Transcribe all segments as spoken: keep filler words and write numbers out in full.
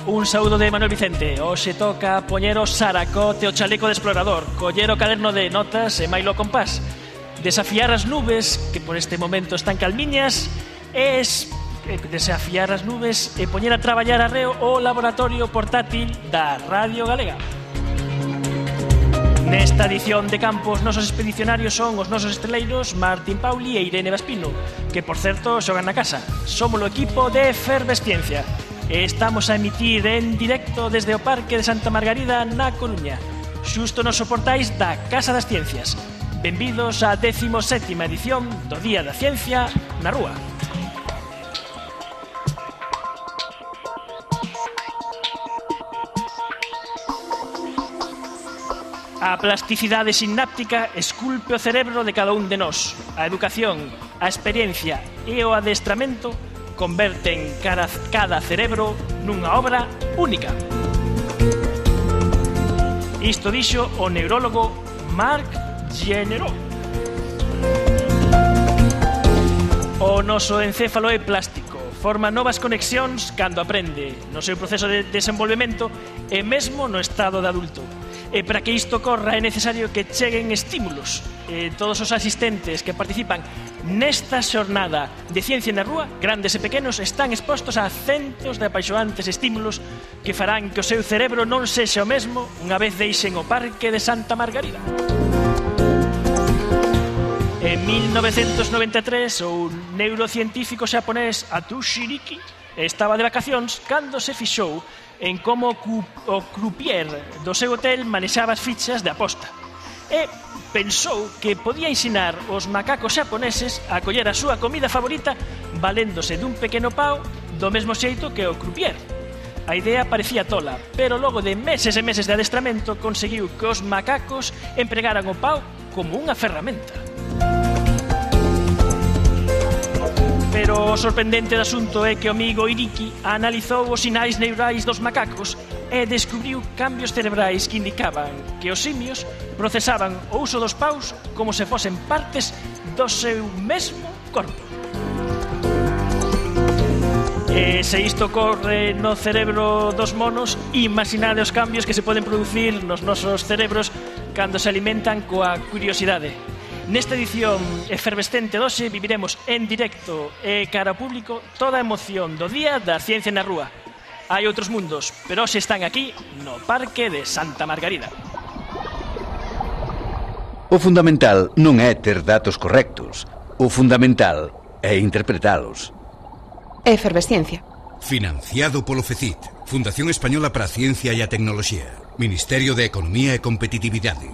Un saúdo de Manuel Vicente. Hoxe toca poñer o saracote o chaleco de explorador, coller o caderno de notas e mailo compás, desafiar as nubes, que por este momento están calmiñas, e es, desafiar as nubes e poñer a traballar arreo o laboratorio portátil da Radio Galega. Nesta edición de campo, os nosos expedicionarios son os nosos esteleiros Martín Pauli e Irene Vaspino, que, por certo, xogan na casa. Somos o equipo de Efervesciencia. Estamos a emitir en directo desde o Parque de Santa Margarida na Coruña, xusto nos soportais da Casa das Ciencias. Benvidos á décimo sétima edición do Día da Ciencia na Rúa. A plasticidade sináptica esculpe o cerebro de cada un de nós. A educación, a experiencia e o adestramento converten cada, cada cerebro nunha obra única. Isto dixo o neurólogo Marc Généreux. O noso encéfalo é plástico, forma novas conexións cando aprende, no seu proceso de desenvolvemento e mesmo no estado de adulto. E para que isto ocorra é necesario que cheguen estímulos. E todos os asistentes que participan nesta xornada de Ciencia na Rúa, grandes e pequenos, están expostos a centos de apaixonantes estímulos que farán que o seu cerebro non sexa o mesmo unha vez deixen o Parque de Santa Margarida. En mil novecentos noventa e tres, o neurocientífico xaponés Atsushi Riki estaba de vacacións cando se fixou en como o croupier do seu hotel manexaba as fichas de aposta. E pensou que podía ensinar os macacos xaponeses a coller a súa comida favorita valéndose dun pequeno pau do mesmo xeito que o croupier. A idea parecía tola, pero logo de meses e meses de adestramento conseguiu que os macacos empregaran o pau como unha ferramenta. Pero o sorprendente do asunto é que o amigo Iriki analizou os sinais neurais dos macacos e descubriu cambios cerebrais que indicaban que os simios procesaban o uso dos paus como se fosen partes do seu mesmo corpo. E se isto ocorre no cerebro dos monos, imaginade os cambios que se poden producir nos nosos cerebros cando se alimentan coa curiosidade. Nesta edición efervescente doxe viviremos en directo e cara ao público toda a emoción do Día da Ciencia na Rúa. Hai outros mundos, pero hoxe están aquí no Parque de Santa Margarida. O fundamental non é ter datos correctos. O fundamental é interpretalos. Efervesciencia. Financiado polo FECIT, Fundación Española para a Ciencia e a Tecnoloxía, Ministerio de Economía e Competitividade.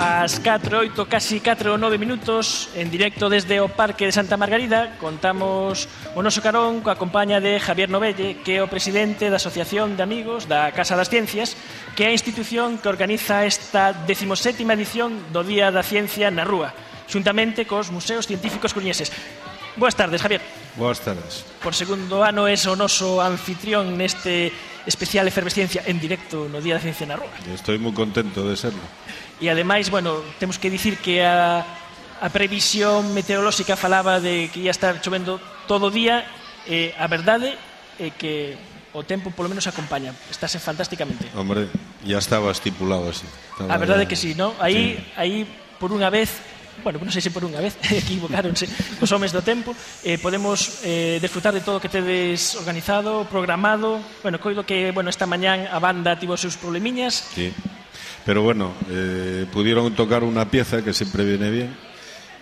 As catro e oito, casi catro e nove minutos, en directo desde o Parque de Santa Margarida, contamos o noso carón coa compaña de Javier Novelle, que é o presidente da Asociación de Amigos da Casa das Ciencias, que é a institución que organiza esta decimosétima edición do Día da Ciencia na Rúa, xuntamente cos museos científicos coruñeses. Boas tardes, Javier. Boas tardes. Por segundo ano es o noso anfitrión neste especial Efervesciencia en directo no Día da Ciencia na Rúa. Estou moi contento de serlo. E ademais, bueno, temos que dicir que a, a previsión meteorolóxica falaba de que ia estar chovendo todo o día, e a verdade é que o tempo polo menos acompaña, estáse fantásticamente. Hombre, ya estaba estipulado así. Estaba a verdade ya... que sí, ¿no? Aí, sí. aí por unha vez, bueno, non sei se por unha vez, equivocáronse os homes do tempo, eh, podemos eh, desfrutar de todo o que tedes organizado, programado. Bueno, coido que, bueno, esta mañán a banda tivo os seus problemiñas. Sí. Pero bueno, eh, pudieron tocar una pieza que siempre viene bien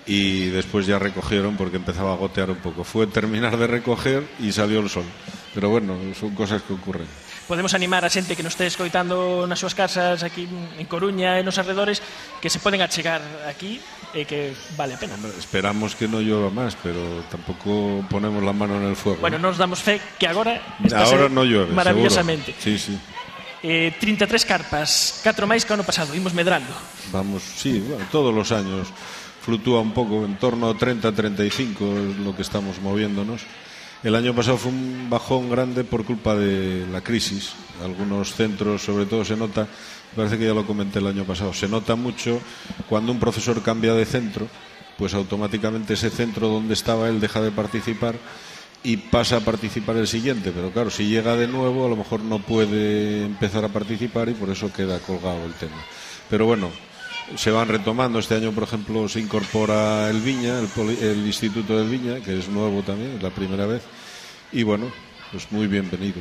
y después ya recogieron porque empezaba a gotear un poco. Fue terminar de recoger y salió el sol. Pero bueno, son cosas que ocurren. Podemos animar a xente que nos este escoitando nas súas casas aquí en Coruña e nos arredores que se poden achegar aquí e que vale a pena. Hombre, esperamos que no llueva más, pero tampoco ponemos la mano en el fuego. Bueno, ¿no? nos damos fe que agora está ahora no llueve, maravillosamente. Seguro. Sí, sí. eh, trinta e tres carpas, catro máis que o ano pasado, imos medrando. Vamos, sí, bueno, todos los años fluctúa un poco, en torno a treinta, treinta y cinco es lo que estamos moviéndonos. El año pasado fue un bajón grande por culpa de la crisis. Algunos centros, sobre todo, se nota, parece que ya lo comenté el año pasado, se nota mucho cuando un profesor cambia de centro, pues automáticamente ese centro donde estaba él deja de participar y pasa a participar el siguiente. Pero claro, si llega de nuevo, a lo mejor no puede empezar a participar y por eso queda colgado el tema. Pero bueno, se van retomando. Este año, por ejemplo, se incorpora el Viña, el, poli, el Instituto del Viña, que es nuevo también, es la primera vez. Y bueno, pues muy bienvenido.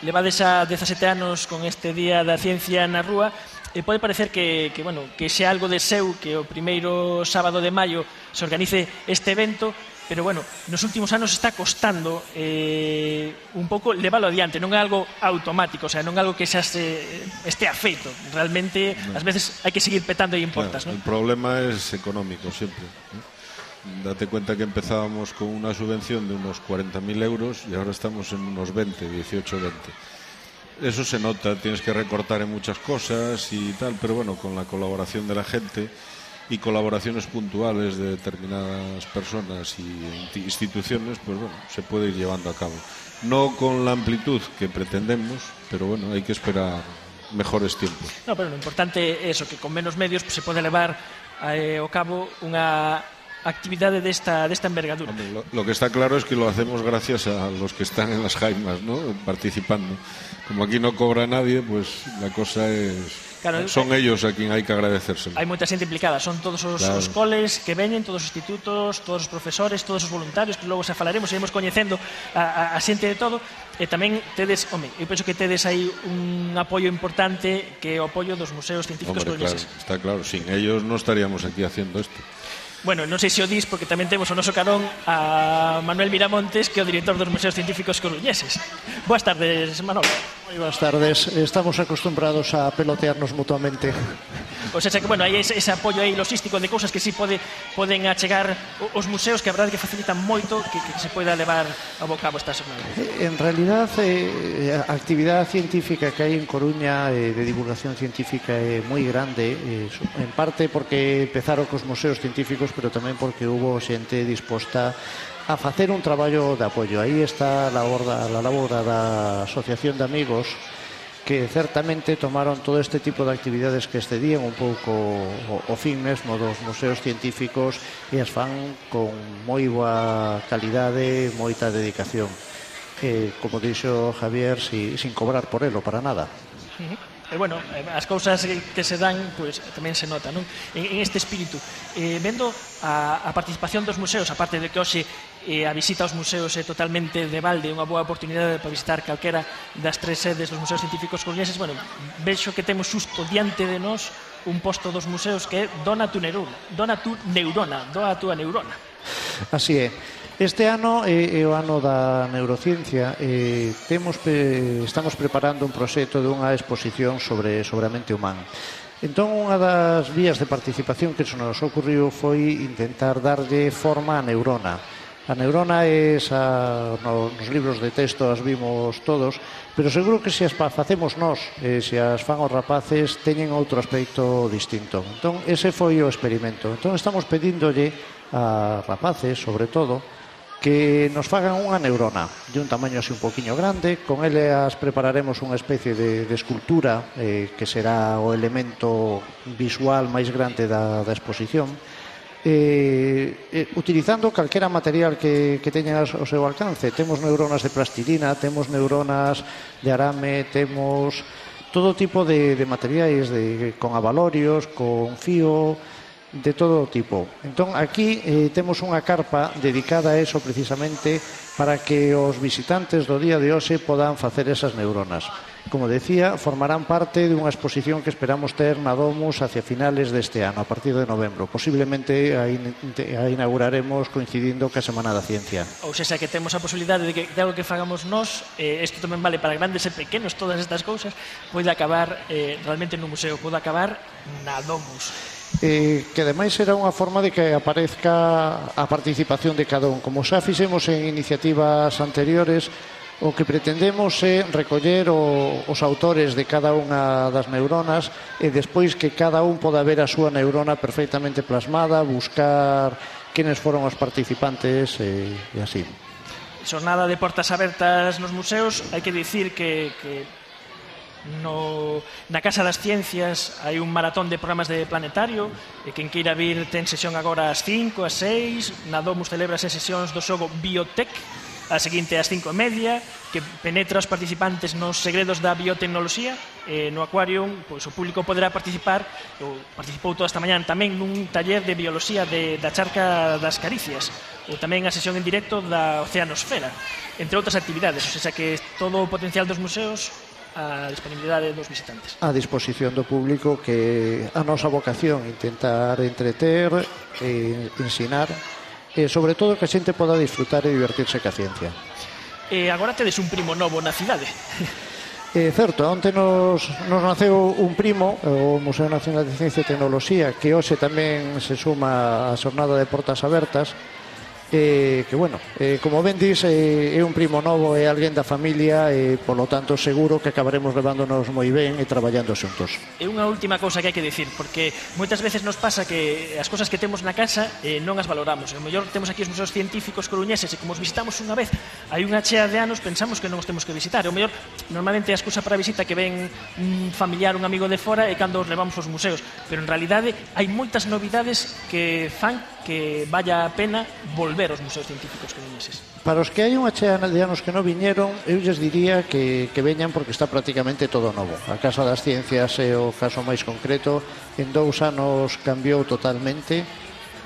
Levades a dezasete anos con este Día da Ciencia na Rúa. E pode parecer que, que, bueno, que xa algo de seu que o primeiro sábado de maio se organice este evento, pero bueno, nos últimos anos está costando eh, un pouco leválo adiante, non é algo automático, o sea, non é algo que xa se, este afeito, realmente no. Ás veces hai que seguir petando e importas, claro, ¿no? El problema es económico siempre, ¿no? Date cuenta que empezábamos con una subvención de unos cuarenta mil euros y ahora estamos en unos veinte, dieciocho, veinte. Eso se nota, tienes que recortar en muchas cosas y tal, pero bueno, con la colaboración de la gente y colaboraciones puntuales de determinadas personas y instituciones, pues bueno, se puede ir llevando a cabo. No con la amplitud que pretendemos, pero bueno, hay que esperar mejores tiempos. No, pero lo importante é eso, que con menos medios pues, se pode levar eh, ao cabo unha actividade desta, desta envergadura. Hombre, lo, lo que está claro es que lo hacemos gracias a los que están en las jaimas, ¿no? Participando. Como aquí no cobra nadie, pues la cosa es... Claro, son eh, ellos a quien hai que agradecérselo. Hai moita xente implicada, son todos os, claro. os coles que veñen, todos os institutos, todos os profesores, todos os voluntarios, que logo xa falaremos, iremos coñecendo a, a, a xente de todo, e tamén tedes, home, eu penso que tedes aí un apoio importante que é o apoio dos museos científicos coruñeses. Claro, está claro, sin ellos no estaríamos aquí haciendo esto. Bueno, non sei se o dis porque tamén temos o noso carón a Manuel Miramontes, que é o director dos Museos Científicos Coruñeses. Boas tardes, Manolo. Moi boas tardes. Estamos acostumbrados a pelotearnos mutuamente. O sea, que, bueno, hai ese, ese apoio aí logístico de cousas que sí pode, poden achegar os museos, que a verdade que facilitan moito que, que se poida levar a bo cabo esta semana. En realidad, eh, a actividade científica que hai en Coruña eh, de divulgación científica é moi grande, eh, en parte porque empezaron cos museos científicos, pero tamén porque hubo xente disposta a facer un traballo de apoio. Aí está a labor da, a labor da Asociación de Amigos, que certamente tomaron todo este tipo de actividades que excedían un pouco o, o fin mesmo dos museos científicos e as fan con moi boa calidade, moita dedicación. Eh, como dixo Javier, si, sin cobrar por elo, para nada. Uh-huh. E, bueno, as cousas que se dan pues, tamén se nota, non? En, en este espírito eh, vendo a, a participación dos museos, aparte de que hoxe eh, a visita aos museos é totalmente de balde, unha boa oportunidade para visitar calquera das tres sedes dos museos científicos coruñeses. Bueno, vexo que temos xusto diante de nós un posto dos museos que é Dona tu neurona, Dona tu neurona, doa a túa neurona. Así é. Este ano é, é o ano da neurociencia. Eh, temos, eh, estamos preparando un proxecto dunha exposición sobre, sobre a mente humana. Entón, unha das vías de participación que se nos ocurriu foi intentar darlle forma á neurona. A neurona é esa, nos libros de texto as vimos todos, pero seguro que se as facemos nós, e se as fan os rapaces, teñen outro aspecto distinto. Entón, ese foi o experimento. Entón, estamos pedíndolle a rapaces, sobre todo, que nos fagan unha neurona de un tamaño así un poquinho grande. Con elas prepararemos unha especie de, de escultura eh, que será o elemento visual máis grande da, da exposición, eh, eh, utilizando calquera material que, que teñan ao seu alcance. Temos neuronas de plastilina, temos neuronas de arame, temos todo tipo de, de materiais de, con abalorios, con fío, de todo tipo. Entón, aquí eh, temos unha carpa dedicada a eso precisamente para que os visitantes do día de hoxe podan facer esas neuronas. Como decía, formarán parte dunha exposición que esperamos ter na Domus hacia finales deste ano, a partir de novembro. Posiblemente a, in, a inauguraremos coincidindo ca Semana da Ciencia. Ou seja, que temos a posibilidade de que de algo que fagamos nós, eh, isto tamén vale para grandes e pequenos, todas estas cousas, pode acabar eh, realmente no museo, pode acabar na Domus. Eh, que ademais será unha forma de que aparezca a participación de cada un. Como xa fixemos en iniciativas anteriores, O que pretendemos é recoller o, os autores de cada unha das neuronas e despois que cada un poda ver a súa neurona perfectamente plasmada, buscar quenes foron os participantes e, e así. Xornada de portas abertas nos museos, hai que dicir que, que no, na Casa das Ciencias hai un maratón de programas de planetario e quen queira vir ten sesión agora ás cinco, ás seis, na Domus celebra as sesións do xogo Biotech, a seguinte ás cinco e media, que penetra os participantes nos segredos da biotecnoloxía. E no Aquarium, pois, o público poderá participar, ou participou toda esta mañán tamén nun taller de bioloxía de, da charca das caricias, ou tamén a sesión en directo da Oceanosfera, entre outras actividades. O sea que todo o potencial dos museos a disponibilidade dos visitantes. A disposición do público, que a nosa vocación intentar entreter e ensinar, e sobre todo que a xente poda disfrutar e divertirse ca ciencia. E agora tedes un primo novo na cidade. É certo, onte nos, nos naceu un primo, o Museo Nacional de Ciencia e Tecnoloxía, que hoxe tamén se suma á xornada de portas abertas, e que, bueno, eh, como ben dis, eh, é un primo novo, é alguén da familia, e, polo tanto, seguro que acabaremos levándonos moi ben e traballando xuntos. E unha última cousa que hai que dicir, porque moitas veces nos pasa que as cousas que temos na casa eh, non as valoramos. E o mellor temos aquí os museos científicos coruñeses e como os visitamos unha vez hai unha chea de anos, pensamos que non os temos que visitar. E o mellor, normalmente a excusa para a visita que ven un familiar, un amigo de fora, é cando os levamos aos museos. Pero en realidade hai moitas novidades que fan que vaya a pena volver aos museos científicos coruñeses. Para os que hai unha chea de anos que non viñeron, eu lles diría que, que veñan porque está prácticamente todo novo. A Casa das Ciencias é o caso máis concreto. En dous anos cambiou totalmente.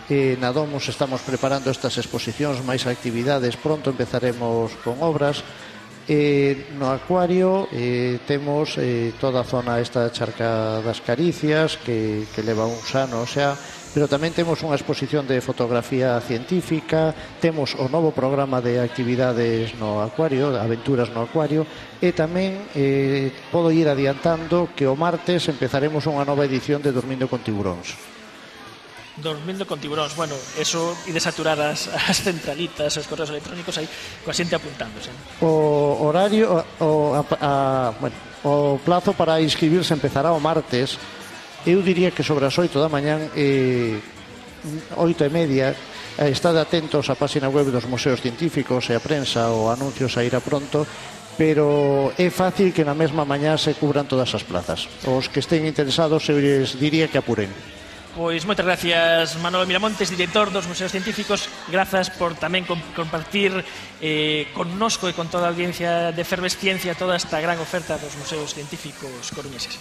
E na Domus estamos preparando estas exposicións, máis actividades. Pronto empezaremos con obras. E no Acuario eh, temos eh, toda a zona esta charca das caricias que, que leva uns anos xa, pero tamén temos unha exposición de fotografía científica, temos o novo programa de actividades no Acuario, aventuras no Acuario, e tamén eh, podo ir adiantando que o martes empezaremos unha nova edición de Dormindo con Tiburóns. Dormindo con tiburóns, bueno, eso e de saturar as, as centralitas, os correos electrónicos aí, coa xente apuntándose. O horario, o, a, a, bueno, o plazo para inscribirse empezará o martes. Eu diría que sobre as oito da mañán e oito e media. Estade atentos á página web dos museos científicos e a prensa, o anuncios a ir a pronto, pero é fácil que na mesma mañá se cubran todas as plazas. Os que estén interesados eu les diría que apuren. Pois moitas gracias, Manolo Miramontes, director dos Museos Científicos. Grazas por tamén compartir eh, connosco e con toda a audiencia de Efervesciencia toda esta gran oferta dos Museos Científicos coruñeses.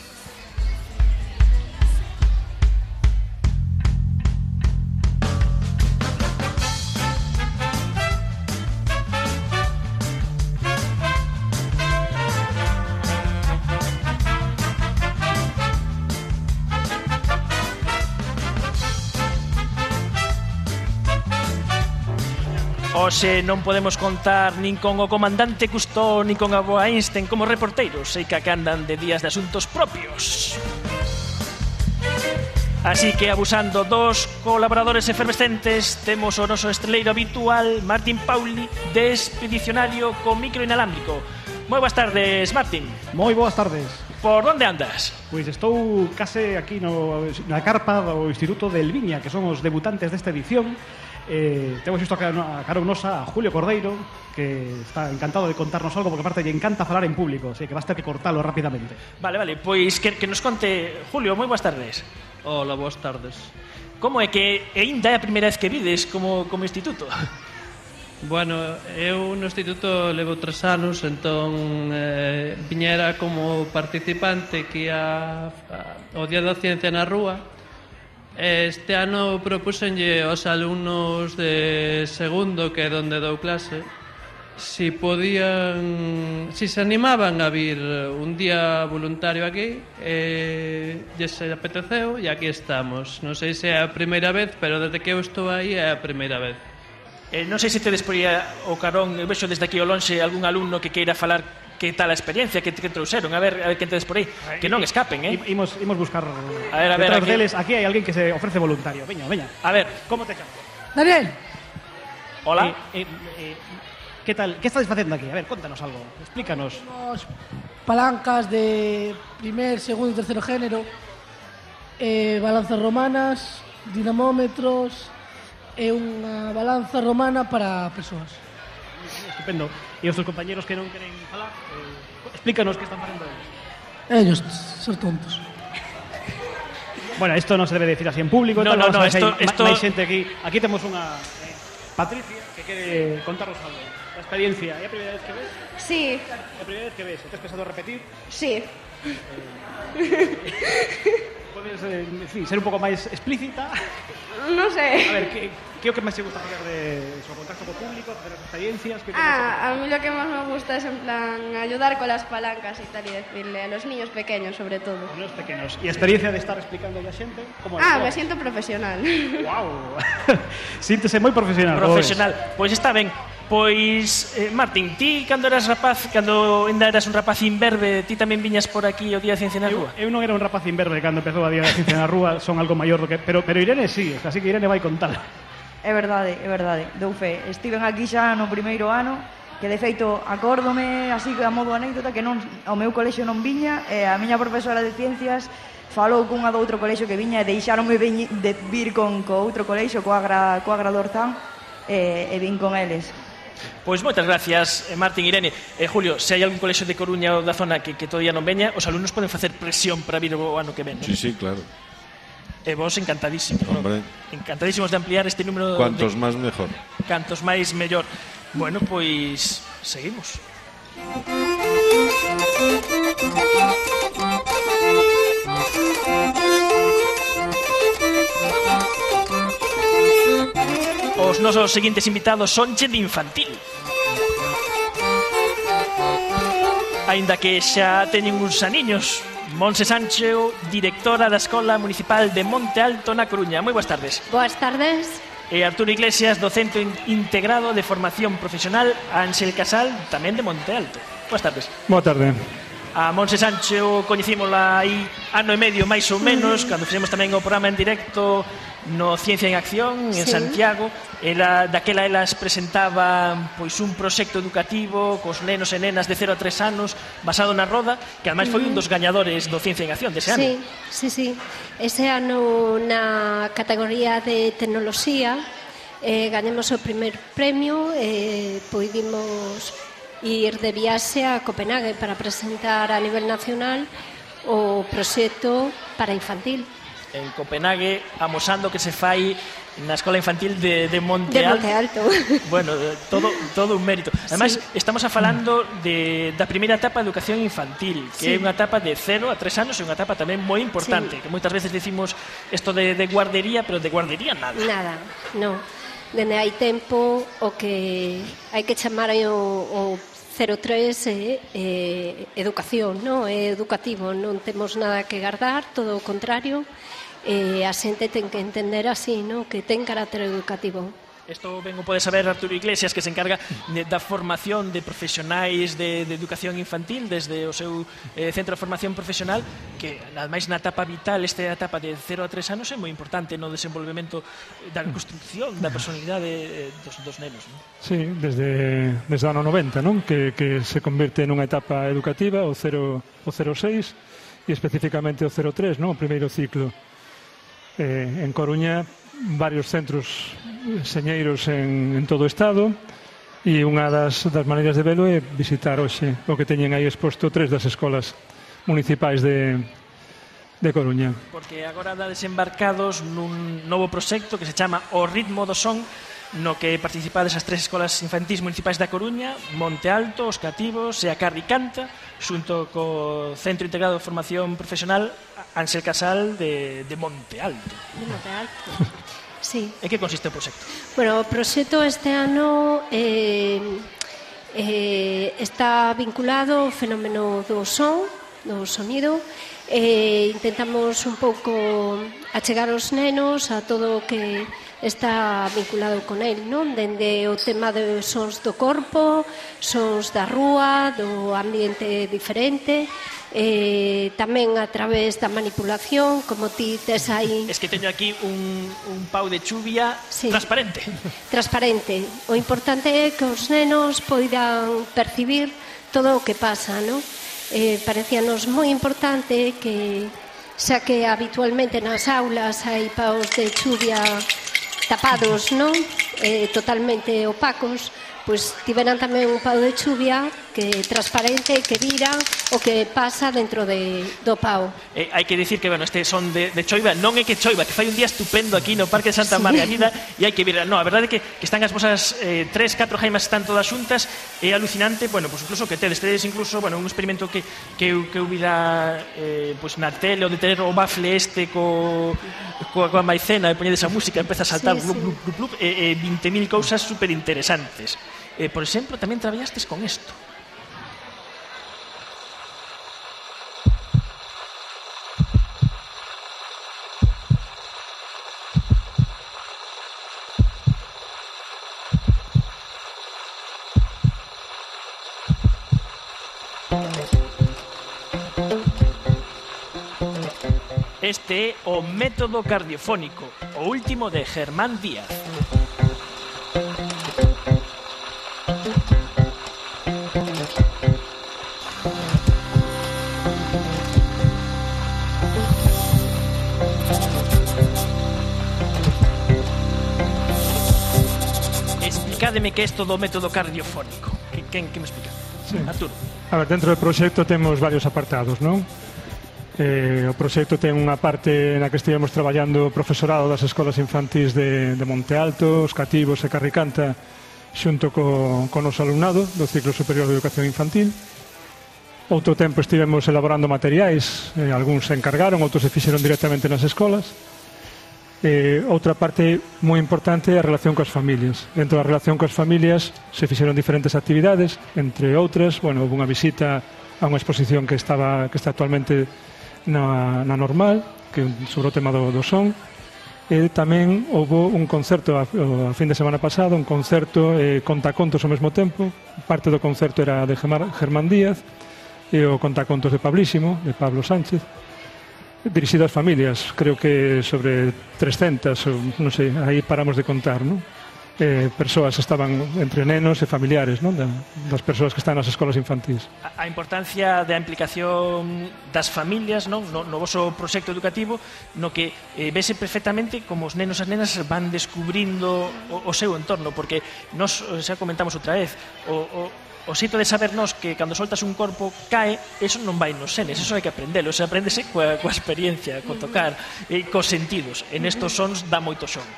Hoxe non podemos contar nin con o comandante Cousteau nin con a boa Einstein como reporteiros, sei que andan de días de asuntos propios. Así que, abusando dos colaboradores efervescentes, temos o noso estreleiro habitual, Martín Pauli, de Expedicionario co micro inalámbrico. Moi boas tardes, Martín. Moi boas tardes. Por onde andas? Pois estou case aquí no, na carpa do Instituto del Viña, que son os debutantes desta edición. Eh, temos isto a cara nosa a Julio Cordeiro, que está encantado de contarnos algo, porque aparte lle encanta falar en público, así que basta que cortalo rapidamente. Vale, vale, pois que, que nos conte Julio. Moi boas tardes. Hola, boas tardes. Como é que ainda é a primeira vez que vides como, como instituto? Bueno, eu no instituto levo tres anos, entón eh, viñera como participante que ia ao Día da Ciencia na rúa. Este ano propúxenlle aos alumnos de segundo, que é onde dou clase, si podían, si se animaban a vir un día voluntario aquí, e lle se apeteceu, e aquí estamos. Non sei se é a primeira vez, pero desde que eu estou aí é a primeira vez. Eh, non sei se tedes por aí o carón, eu vexo desde aquí ao lonxe algún alumno que queira falar que tal a experiencia que, que trouxeron. A ver, a ver quen tedes por aí. Que non escapen, eh? Imos, imos buscar a ver, a ver, detrás aquí. deles. Aquí hai alguén que se ofrece voluntario. Veña, veña. A ver. Como te chamas? Daniel. Hola. Eh, eh, eh, Que tal? Que estades facendo aquí? A ver, contanos algo. Explícanos. Temos palancas de primer, segundo e terceiro género, eh, balanzas romanas, dinamómetros e unha balanza romana para persoas. Estupendo. E os teus compañeros que non queren falar, eh, explícanos que están facendo eles. Ellos, ser tontos. Bueno, esto non se debe decir así en público. No, no, no, esto... Máis xente aquí. Aquí temos unha eh, Patricia que quere contarnos algo. La experiencia. ¿Es la primera vez que ves? Sí. ¿La primera vez que ves? ¿Te has pensado repetir? Sí. Eh, ¿Puedes eh, sí, ser un poco máis explícita? No sé. A ver, ¿qué, qué é o que máis te gusta facer de eso? Contacto co público, hacer as experiencias? ¿Qué Ah, a mí lo que más me gusta es en plan ayudar con las palancas y tal y decirle a los niños pequeños sobre todo. A los pequeños. ¿Y a experiencia de estar explicando a xente? Como Ah, me siento profesional. Wow. Síntese moi profesional. Profesional. Pois está ben. Pois, eh, Martín, ti cando eras rapaz, cando ainda eras un rapaz imberbe, ti tamén viñas por aquí o Día da Ciencia na Rúa? Eu, eu non era un rapaz imberbe cando empezou a Día da Ciencia na Rúa, son algo maior do que... Pero, pero Irene sí, así que Irene vai contar. É verdade, é verdade, dou fe. Estiven aquí xa no primeiro ano, que de feito acórdome así a modo anécdota que non, ao meu colexio non viña, e a miña profesora de ciencias falou cunha do outro colexio que viña e deixaronme de vir con co outro colexio, coa Agra, coa Agra do Orzán, e, e vin con eles. Pois moitas gracias, Martín, Irene. Eh, Julio, se hai algún colexio de Coruña ou da zona que, que todavía non veña, os alumnos poden facer presión para vir o ano que ven, non? Sí, sí, claro. E vos encantadísimos, Hombre. ¿no? Encantadísimos de ampliar este número. Cuantos de... máis, mejor. Cantos máis, mellor. Bueno, pois seguimos. Os nosos seguintes invitados sonche de infantil. Aínda que xa teñen uns aniños. Monse Sancho, directora da Escola Municipal de Monte Alto na Coruña. Moi boas tardes. Boas tardes. E Arturo Iglesias, do Centro Integrado de Formación Profesional Ángel Casal, tamén de Monte Alto. Boas tardes. Boa tarde. A Monse Sancho coñecímola aí ano e medio máis ou menos, cando fixemos tamén o programa en directo no Ciencia en Acción, en Sí. Santiago. Ela, daquela elas presentaban pois un proxecto educativo cos nenos e nenas de cero a tres anos basado na roda, que ademais foi un dos gañadores do Ciencia en Acción dese ano. Sí, sí, sí. Ese ano na categoría de tecnoloxía eh, gañamos o primer premio e eh, poidimos ir de viaxe a Copenhague para presentar a nivel nacional o proxecto para infantil. En Copenhague, amosando que se fai na Escola Infantil de, de Monte De Alto. Monte Alto. Bueno, todo, todo un mérito. Además, Sí. estamos a falando de, da primeira etapa de educación infantil, que Sí. é unha etapa de cero a tres anos e unha etapa tamén moi importante, Sí. que moitas veces decimos isto de, de guardería, pero de guardería nada. Nada, no. Dende hai tempo o que hai que chamar o, o cero tres é eh, educación, no? É educativo, non temos nada que guardar, todo o contrario. E a xente ten que entender así, no? Que ten carácter educativo. Isto ben o pode saber Arturo Iglesias, que se encarga de, da formación de profesionais de, de educación infantil desde o seu eh, centro de formación profesional, que ademais na etapa vital, esta etapa de cero a tres anos é moi importante no desenvolvemento da construcción da personalidade eh, dos, dos nenos, non? Sí, desde, desde o ano noventa, non? Que, que se convirte nunha etapa educativa, o cero seis, e especificamente o cero tres, non? O primeiro ciclo. Eh, en Coruña, varios centros señeiros en, en todo o estado, e unha das, das maneiras de velo é visitar hoxe o que teñen aí exposto tres das escolas municipais de, de Coruña. Porque agora dá desembarcados nun novo proxecto que se chama O Ritmo do Son, no que participades as tres escolas infantís municipais da Coruña, Monte Alto, Os Cativos e a Carri Canta, xunto co Centro Integrado de Formación Profesional Ángel Casal de, de Monte Alto. De Monte Alto. Sí. En que consiste o proxecto? Bueno, o proxecto este ano eh, eh, está vinculado ao fenómeno do son, do sonido, e intentamos un pouco achegar os nenos a todo o que está vinculado con el, non? Dende o tema de sons do corpo, sons da rúa, do ambiente diferente, eh, tamén a través da manipulación, como ti tes aí... Es que teño aquí un, un pau de chuvia sí. transparente. Transparente. O importante é que os nenos poidan percibir todo o que pasa, non? Eh, parecíanos moi importante que, xa que habitualmente nas aulas hai paus de chuvia tapados, non? Eh, totalmente opacos, pois tiveran tamén un pau de chuvia que é transparente, que vira o que pasa dentro de, do pau. Eh, hai que dicir que, bueno, este son de, de choiva, non é que choiva, que fai un día estupendo aquí no Parque de Santa sí. Margarida e hai que vir, non, a verdade é que, que están as vosas eh, tres, catro jaimas están todas xuntas, é alucinante, bueno, pois incluso que tedes, tedes incluso, bueno, un experimento que, que, que eu vira eh, pois na tele, o de ter o bafle este co, co, coa maicena e poñedes a música, empeza a saltar sí, blup, blup, blup, blup, e, e vinte mil cousas super interesantes. Eh, por exemplo, tamén traballastes con isto. Este é o método cardiofónico, o último de Germán Díaz. Explicádeme que é isto do método cardiofónico. Quen que me explica? Sí. Arturo. A ver, dentro do proxecto temos varios apartados, non? Eh, o proxecto ten unha parte na que estivemos traballando o profesorado das escolas infantís de, de Monte Alto, os Cativos e Carricanta xunto co, co noso alumnado do ciclo superior de educación infantil. Outro tempo estivemos elaborando materiais, eh, algúns se encargaron, outros se fixeron directamente nas escolas. Eh, outra parte moi importante é a relación coas familias. Dentro da relación coas familias se fixeron diferentes actividades, entre outras, bueno, houve unha visita a unha exposición que estaba que está actualmente na, na normal, que sobre o tema do, do son, e tamén houve un concerto a, a fin de semana pasado, un concerto eh, contacontos ao mesmo tempo. Parte do concerto era de Germán Díaz e o contacontos de Pablísimo, de Pablo Sánchez, dirixido ás familias, creo que sobre trescentas, ou, non sei, aí paramos de contar, non? Eh, persoas estaban entre nenos e familiares, non? Da, das persoas que están nas escolas infantís. A, a importancia da implicación das familias, non? No, no voso proxecto educativo, no que eh, vese perfectamente como os nenos e as nenas van descubrindo o, o seu entorno, porque nos, xa comentamos outra vez, o, o O xeito de sabernos que cando soltas un corpo cae, eso non vai nos senes, eso hai que aprendelo, eso aprendese coa, coa experiencia, co tocar, e cos sentidos. En estos sons dá moito son.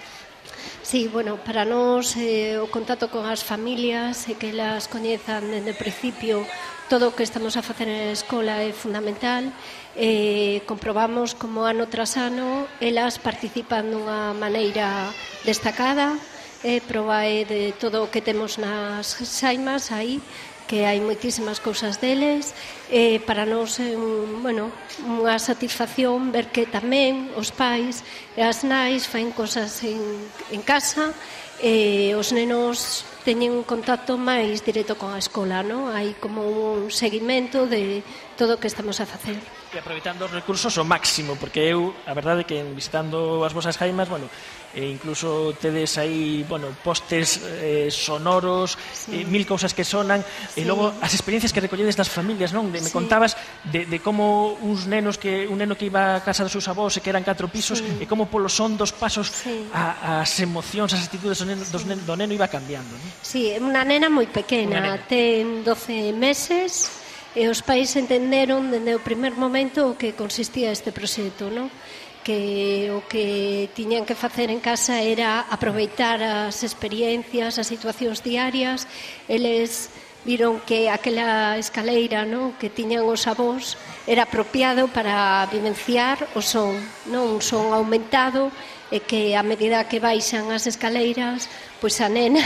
Sí, bueno, para nós eh, o contacto con as familias e que elas coñezan dende o principio todo o que estamos a facer na escola é fundamental. Eh, comprobamos como ano tras ano elas participan dunha maneira destacada. É proba é de todo o que temos nas xaimas aí, que hai moitísimas cousas deles. Eh, para nós é un, bueno, unha satisfacción ver que tamén os pais e as nais faen cosas en, en casa e os nenos teñen un contacto máis directo con a escola, non? Hai como un seguimento de todo o que estamos a facer. E aproveitando os recursos ao máximo, porque eu, a verdade que visitando as vosas jaimas, bueno, e incluso tedes aí, bueno, postes eh, sonoros, sí. eh, mil cousas que sonan, sí. E logo as experiencias que recolledes das familias, non? De, me sí. contabas de, de como uns nenos que un neno que iba a casa dos seus avós e que eran catro pisos, sí. E como polo son dos pasos sí. a, as emocións, as actitudes do neno, dos neno, do neno iba cambiando, non? Sí, é unha nena moi pequena, ten doce meses, e os pais entenderon dende o primer momento o que consistía este proxecto, non? Que o que tiñan que facer en casa era aproveitar as experiencias, as situacións diarias. Eles viron que aquela escaleira, non, que tiñan os avós era apropiado para vivenciar o son, non, un son aumentado, e que a medida que baixan as escaleiras, pois a nena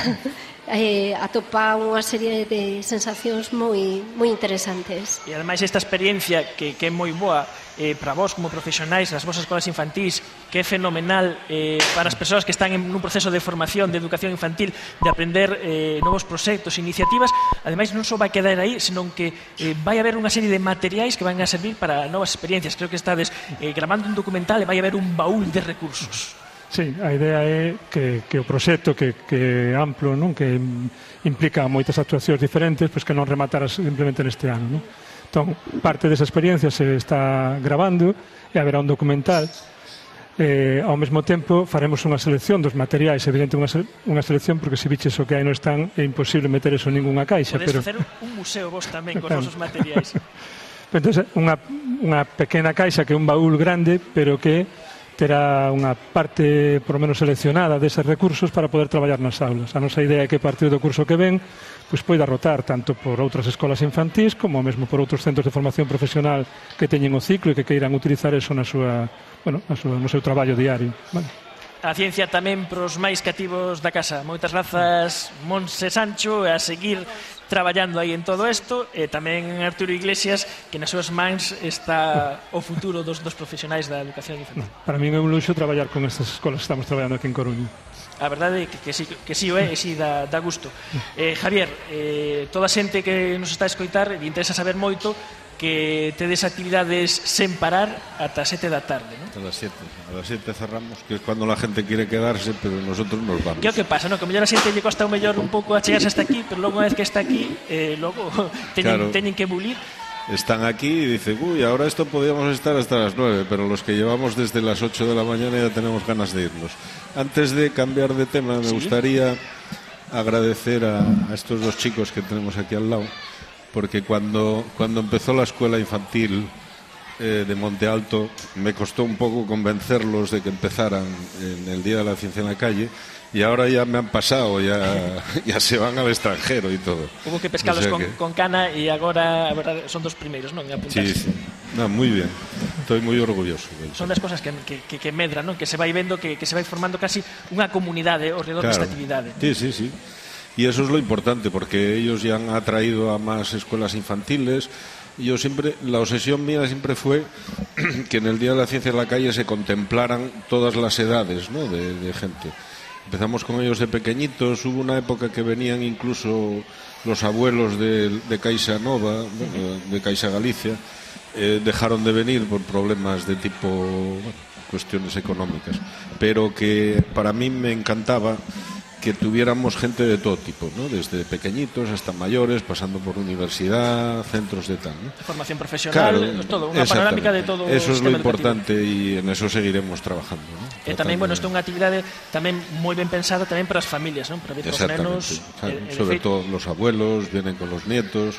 eh, atopa unha serie de sensacións moi moi interesantes. E ademais esta experiencia que, que é moi boa eh, para vos como profesionais nas vosas escolas infantís, que é fenomenal eh, para as persoas que están en un proceso de formación de educación infantil, de aprender eh, novos proxectos, iniciativas. Ademais non só vai quedar aí, senón que eh, vai haber unha serie de materiais que van a servir para novas experiencias. Creo que estades eh, grabando un documental e vai haber un baúl de recursos. Sí, a idea é que, que o proxecto que, que é amplo, non? Que implica moitas actuacións diferentes, pois que non rematara simplemente neste ano, non? Entón, parte desa experiencia se está grabando e haberá un documental. Eh, ao mesmo tempo faremos unha selección dos materiais, evidente unha, unha selección porque se biches o que hai non están é imposible meter eso en ninguna caixa. Podes pero... facer un museo vos tamén con os vosos materiais. Entón, unha, unha pequena caixa que é un baúl grande, pero que terá unha parte, por lo menos, seleccionada deses recursos para poder traballar nas aulas. A nosa idea é que a partir do curso que ven pois poida rotar tanto por outras escolas infantís como mesmo por outros centros de formación profesional que teñen o ciclo e que queiran utilizar eso na súa, bueno, na súa, no seu traballo diario. Vale. A ciencia tamén pros máis cativos da casa. Moitas grazas, Monse Sancho, a seguir traballando aí en todo isto, e tamén Arturo Iglesias, que nas súas mans está o futuro dos, dos profesionais da educación infantil. No, para mí é un luxo traballar con estas escolas que estamos traballando aquí en Coruña. A verdade é que, que, sí, que sí o é, e sí dá, dá gusto. Eh, Javier, eh, toda a xente que nos está a escoitar, e interesa saber moito, que tedes actividades sen parar ata sete da tarde, ¿no? A las siete. A las siete cerramos, que es cuando la gente quiere quedarse, pero nosotros nos vamos. Que é o que pasa, ¿no? Que mellor a xente lle costa o mellor un pouco a chegarse hasta aquí, pero logo unha vez que está aquí, eh, logo teñen, claro. teñen que bulir. Están aquí y dicen, uy, ahora esto podíamos estar hasta las nueve, pero los que llevamos desde las ocho de la mañana ya tenemos ganas de irnos. Antes de cambiar de tema, me ¿Sí? gustaría agradecer a, a estos dos chicos que tenemos aquí al lado, porque cuando, cuando empezó la escuela infantil eh, de Monte Alto, me costó un poco convencerlos de que empezaran en el Día de la Ciencia en la Calle, y ahora ya me han pasado, ya, ya se van al extranjero y todo. Hubo que pescarlos o sea con, que... con cana y agora a verdad, son dos primeiros, non? Sí, sí. No, muy bien. Estoy muy orgulloso. Son das cosas que, que, que, que medran, ¿no? Que se vai vendo, que, que se vai formando casi unha comunidade ao redor claro. desta actividade. Sí, sí, sí. Y eso es lo importante, porque ellos ya han atraído a más escuelas infantiles. Yo siempre, la obsesión mía siempre fue que en el Día de la Ciencia en la Calle se contemplaran todas las edades, ¿no? de, de gente. Empezamos con ellos de pequeñitos, hubo una época que venían incluso los abuelos de, de Caixa Nova, de Caixa Galicia, eh, dejaron de venir por problemas de tipo, bueno, cuestiones económicas, pero que para mí me encantaba que tuviéramos gente de todo tipo, ¿no? Desde pequeñitos hasta mayores, pasando por universidad, centros de tal, ¿no? Formación profesional, claro, todo, unha panorámica de todo. Eso es lo importante educativo. Y en eso seguiremos trabajando, ¿no? E tamén, bueno, isto é unha actividade tamén moi ben pensada tamén para as familias, ¿no? Para ver os nenos, claro, eh, sobre todo los abuelos, vienen con los nietos.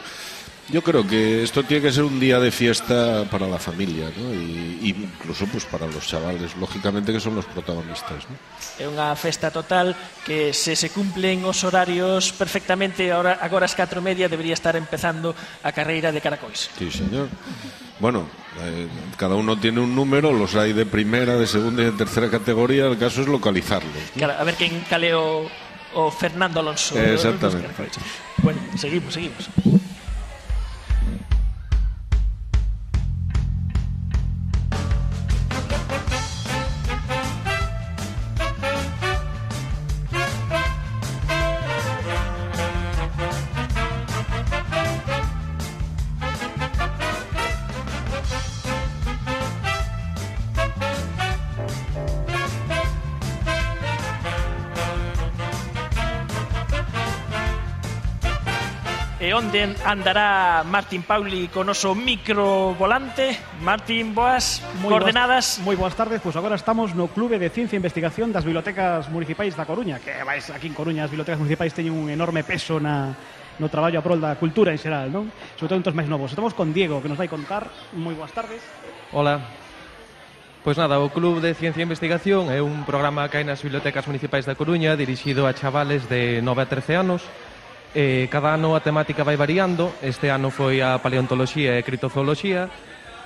Yo creo que esto tiene que ser un día de fiesta para la familia, ¿no? Y, y incluso pues para los chavales, lógicamente, que son los protagonistas, ¿no? É unha festa total que se se cumplen os horarios perfectamente, ahora agora as catro e media debería estar empezando a carreira de caracois. Sí, señor. Bueno, eh, cada uno tiene un número, los hay de primera, de segunda y de tercera categoría, el caso es localizarlos, ¿no? Claro, a ver quen caleo o Fernando Alonso. Exactamente. Bueno, seguimos, seguimos. E onde andará Martín Pauli con noso microvolante? Martín, boas, muy coordenadas. Boas, moi boas tardes, pois pues agora estamos no Clube de Ciencia e Investigación das Bibliotecas Municipais da Coruña, que vais aquí en Coruña, as bibliotecas municipais teñen un enorme peso na, no traballo a prol da cultura en xeral, non? Sobre todo entre os máis novos. Estamos con Diego, que nos vai contar. Moi boas tardes. Hola. Pois nada, o Club de Ciencia e Investigación é un programa que hai nas bibliotecas municipais da Coruña dirixido a chavales de nove a trece anos. Eh, cada ano a temática vai variando. Este ano foi a paleontoloxía e criptozooloxía.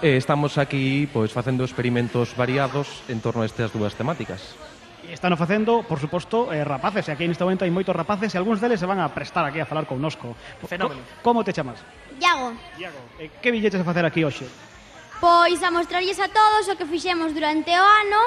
Eh, estamos aquí pois facendo experimentos variados en torno a estas dúas temáticas. E están facendo, por suposto, eh, rapaces, e aquí neste momento hai moitos rapaces e algúns deles se van a prestar aquí a falar connosco. Fenómeno. Como te chamas? Iago. Iago. Eh, que billetes a facer aquí hoxe? Pois a mostrarlles a todos o que fixemos durante o ano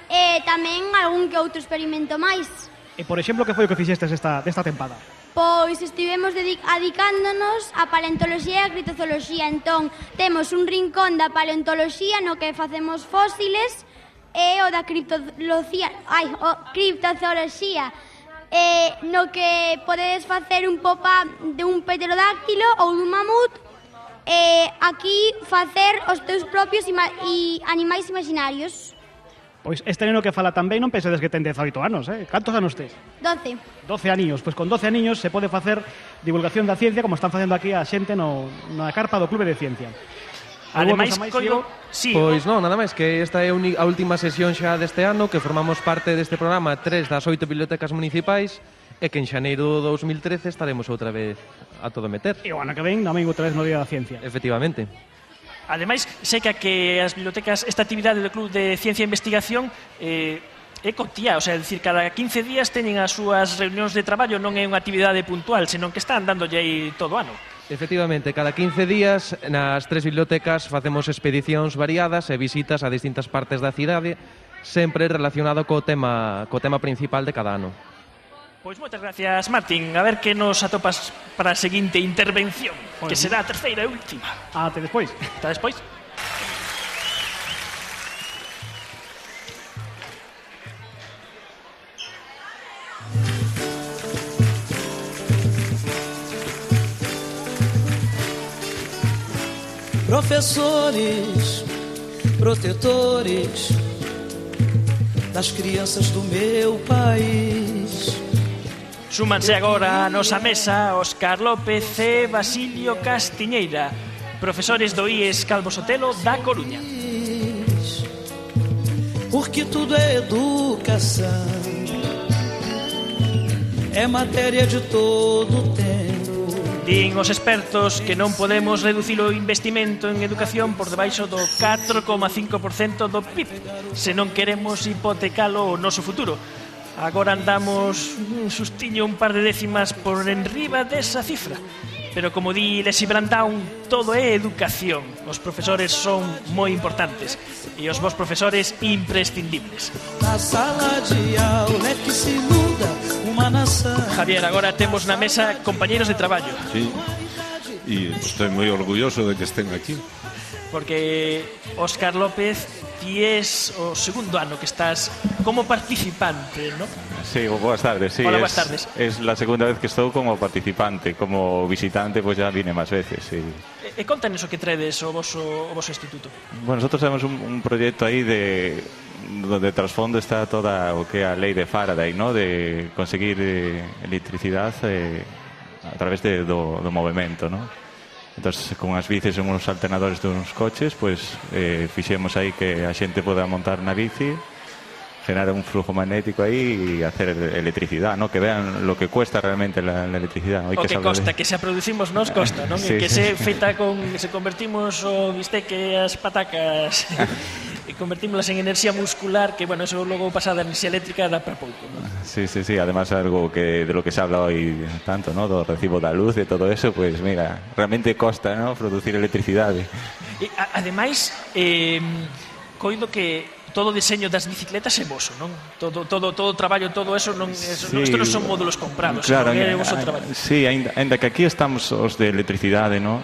e tamén algún que outro experimento máis. E, por exemplo, que foi o que fixestes esta, desta tempada? Pois estivemos adicándonos a paleontoloxía e a criptozooloxía. Entón, temos un rincón da paleontoloxía no que facemos fósiles e o da criptozooloxía, ai, o criptozooloxía, eh, no que podedes facer un pop-up de un pterodáctilo ou dun mamut, e aquí facer os teus propios ima e animais imaginarios. Pois este neno que fala tamén non pensedes que ten dezaoito anos, eh? Cantos anos tes? doce. doce aniños. Pois con doce aniños se pode facer divulgación da ciencia como están facendo aquí a xente no, na carpa do Clube de Ciencia. Ademais, coido... Sí, pois non, nada máis que esta é a última sesión xa deste ano, que formamos parte deste programa tres das oito bibliotecas municipais e que en xaneiro do dos mil trece estaremos outra vez a todo meter. E o ano que ven tamén outra vez no Día da Ciencia. Efectivamente. Ademais, sei que a que as bibliotecas, esta actividade do Club de Ciencia e Investigación eh, é contía, o sea, é dicir, cada quince días teñen as súas reunións de traballo, non é unha actividade puntual, senón que están dándolle aí todo o ano. Efectivamente, cada quince días nas tres bibliotecas facemos expedicións variadas e visitas a distintas partes da cidade, sempre relacionado co tema, co tema principal de cada ano. Pois moitas gracias, Martín. A ver que nos atopas para a seguinte intervención, que será a terceira e última. Ate despois. Ata despois. Professores, protetores das crianças do meu país. Súmanse agora a nosa mesa Óscar López e Basilio Castiñeira, profesores do I E S Calvo Sotelo da Coruña. Porque tudo é educação, é matéria de todo tempo. Din os expertos que non podemos reducir o investimento en educación por debaixo do catro coma cinco por cento do P I B se non queremos hipotecalo o noso futuro. Agora andamos un sustiño un par de décimas por enriba desa cifra. Pero como di Lesi Brandão, todo é educación. Os profesores son moi importantes e os vos profesores imprescindibles. Na sala de aula é que se muda unha nación. Javier, agora temos na mesa compañeros de traballo. Sí, e estou moi orgulloso de que estén aquí. Porque Óscar López, ti es o segundo ano que estás como participante, ¿no? Sí, boas tardes, sí. Hola, es, buenas tardes. Es la segunda vez que estou como participante, como visitante pues ya vine máis veces, sí. E, e contanos o que traedes o voso, o voso instituto. Bueno, nosotros temos un, un proxecto aí de donde trasfondo está toda o que é a lei de Faraday, ¿no? De conseguir eh, electricidade eh, a través de, do, do movimento, ¿no? Entonces, con as bicis e uns alternadores duns coches, pues eh, fixemos aí que a xente poda montar na bici, generar un flujo magnético aí e hacer electricidade, ¿no? Que vean lo que cuesta realmente la, la electricidade. O que, que costa, de... que se a producimos nos costa, non? Sí, que sí. Se feita con, se convertimos o bisteque as patacas e convertímolas en enerxía muscular, que, bueno, eso logo pasada a enerxía eléctrica dá para pouco, ¿no? Sí, sí, sí, además algo que de lo que se habla hoy tanto, ¿no? Do recibo da luz e todo eso, pues mira, realmente costa, ¿no? Producir electricidade. E, a, ademais, eh, coido que todo o diseño das bicicletas é voso, non? Todo todo todo o traballo, todo eso non eso, sí, isto non son módulos comprados, claro, sino que é o voso traballo. Sí, ainda, ainda que aquí estamos os de electricidade, ¿no?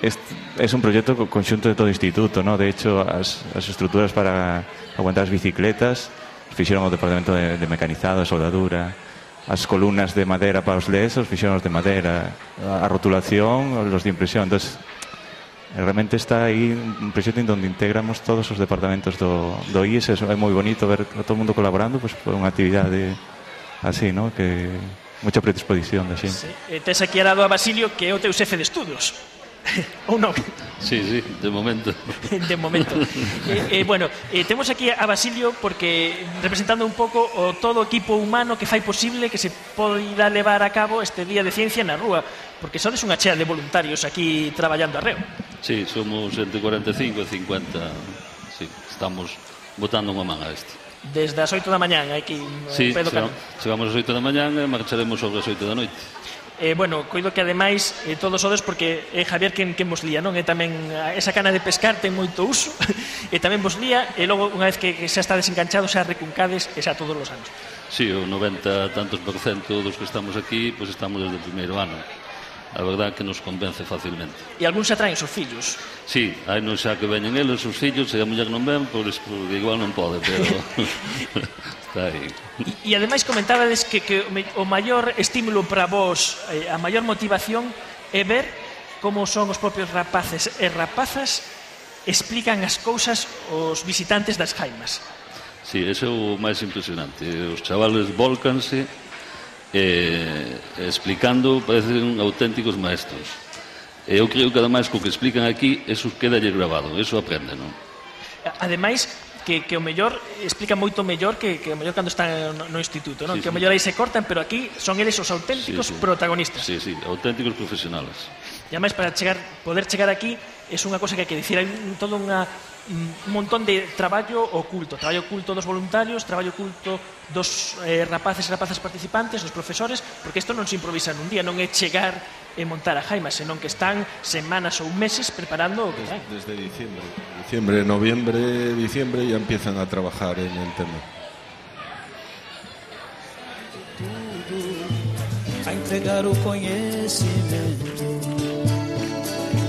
Es, es un proxecto conxunto de todo o instituto, ¿no? De hecho, as, as estruturas para aguantar as bicicletas fixeron o departamento de, de mecanizado, de soldadura, as columnas de madera para os L E S os fixeron os de madera, a rotulación, os de impresión. Entonces, realmente está aí un proxecto en donde integramos todos os departamentos do, do I E S. É moi bonito ver a todo o mundo colaborando, pues, por unha actividade así, ¿no? Que moita predisposición da xente. Sí. E tes aquí al lado a Basilio, que é o teu xefe de estudos. Ou non? Sí, sí, de momento. De momento. eh, eh, bueno, eh, temos aquí a Basilio porque representando un pouco o todo o equipo humano que fai posible que se poida levar a cabo este Día de Ciencia na Rúa, porque sodes unha chea de voluntarios aquí traballando arreo. Sí, somos entre cuarenta e cinco e cincuenta. Sí, estamos botando unha man a isto. Desde as oito da mañán, aquí sí, Pedro Cano. Chegamos ás oito da mañán e marcharemos sobre as oito da noite. Eh, bueno, coido que ademais eh, todos sodes porque é eh, Javier quen, quen vos lía, non? E tamén esa cana de pescar ten moito uso e tamén vos lía e logo unha vez que, que xa está desenganchado xa recuncades e xa todos os anos. Sí, o noventa tantos por cento dos que estamos aquí pois pues estamos desde o primeiro ano. A verdade que nos convence facilmente. E algúns xa traen os fillos? Sí, hai non xa que veñen eles, os fillos, e a muller non ven, pois porque igual non pode, pero está aí. E, e ademais comentábades que, que o maior estímulo para vos, eh, a maior motivación é ver como son os propios rapaces e rapazas explican as cousas aos visitantes das jaimas. Sí, ese é o máis impresionante. Os chavales volcanse eh, explicando, parecen auténticos maestros. E eu creo que ademais co que explican aquí eso quedalle grabado, eso aprende, non? Ademais que, que o mellor explica moito mellor que, que o mellor cando están no, no instituto, non? Sí, que o mellor aí se cortan, pero aquí son eles os auténticos sí, sí. protagonistas. Sí, sí, auténticos profesionales. E ademais para chegar, poder chegar aquí é unha cosa que hai que dicir, hai todo unha un montón de traballo oculto, traballo oculto dos voluntarios, traballo oculto dos eh, rapaces e rapazas participantes, dos profesores, porque isto non se improvisa nun día, non é chegar e montar a jaima, senón que están semanas ou meses preparando o que traen. Desde diciembre, diciembre, noviembre, diciembre ya empiezan a trabajar en el tema. A entregar o conhecimento,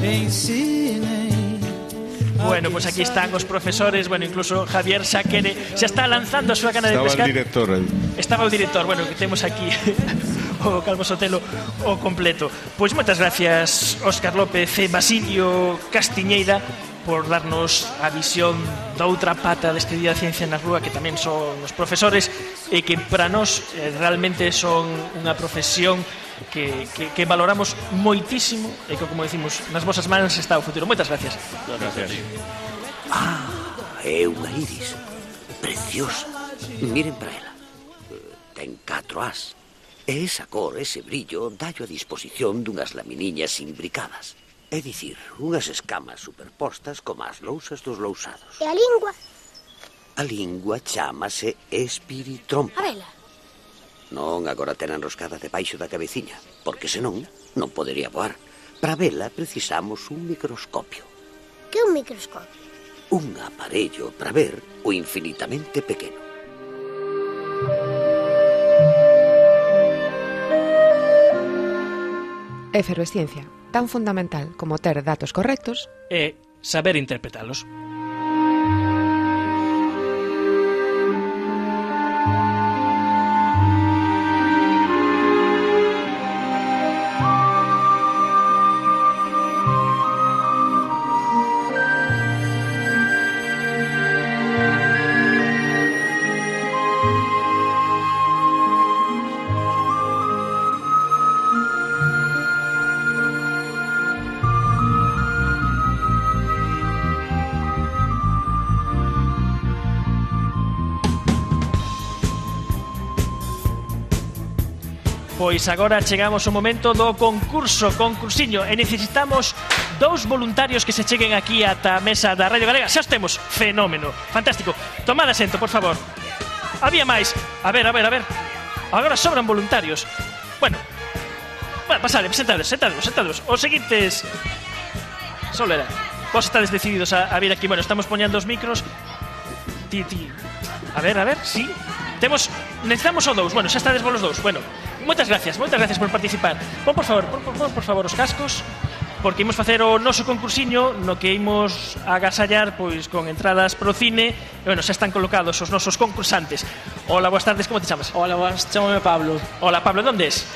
ensinem. Bueno, pues aquí están os profesores, bueno, incluso Javier xa quere, xa está lanzando a súa cana de Estaba pescar. el director aí. Estaba o director, bueno, que temos aquí o Calvo Sotelo o completo. Pois moitas gracias Óscar López e Basilio Castiñeira por darnos a visión da outra pata deste Día da Ciencia na Rúa, que tamén son os profesores e que para nós eh, realmente son unha profesión que, que, que valoramos moitísimo e que, como decimos, nas vosas mans está o futuro. Moitas gracias. Gracias. Ah, é unha iris preciosa. Miren para ela. Ten catro as. E esa cor, ese brillo, dallo a disposición dunhas laminiñas imbricadas. É dicir, unhas escamas superpostas como as lousas dos lousados. E a lingua? A lingua chámase espiritrompa. A vela? Non, agora ten enroscada debaixo da cabeciña, porque senón non podería voar. Para vela precisamos un microscopio. Que é un microscopio? Un aparello para ver o infinitamente pequeno. Efervesciencia, tan fundamental como ter datos correctos e saber interpretalos. Pois agora chegamos ao momento do concurso, concursiño, e necesitamos dous voluntarios que se cheguen aquí ata a mesa da Radio Galega. Xa os temos, fenómeno, fantástico. Tomad asento, por favor. Había máis, a ver, a ver, a ver. Agora sobran voluntarios. Bueno, bueno, pasade, sentades, sentades, sentades. Os seguintes... Solera, vos estades decididos a, a vir aquí. Bueno, estamos poñendo os micros. Ti, ti. A ver, a ver, sí. Temos, necesitamos o dous. Bueno, xa estades vos os dous. Bueno, moitas gracias, moitas gracias por participar. Pon, por favor, pon, pon, por favor, os cascos, porque imos facer o noso concursiño no que imos agasallar pois con entradas pro cine. E, bueno, xa están colocados os nosos concursantes. Hola, boas tardes, como te chamas? Hola, boas, chamame Pablo. Hola, Pablo, onde es?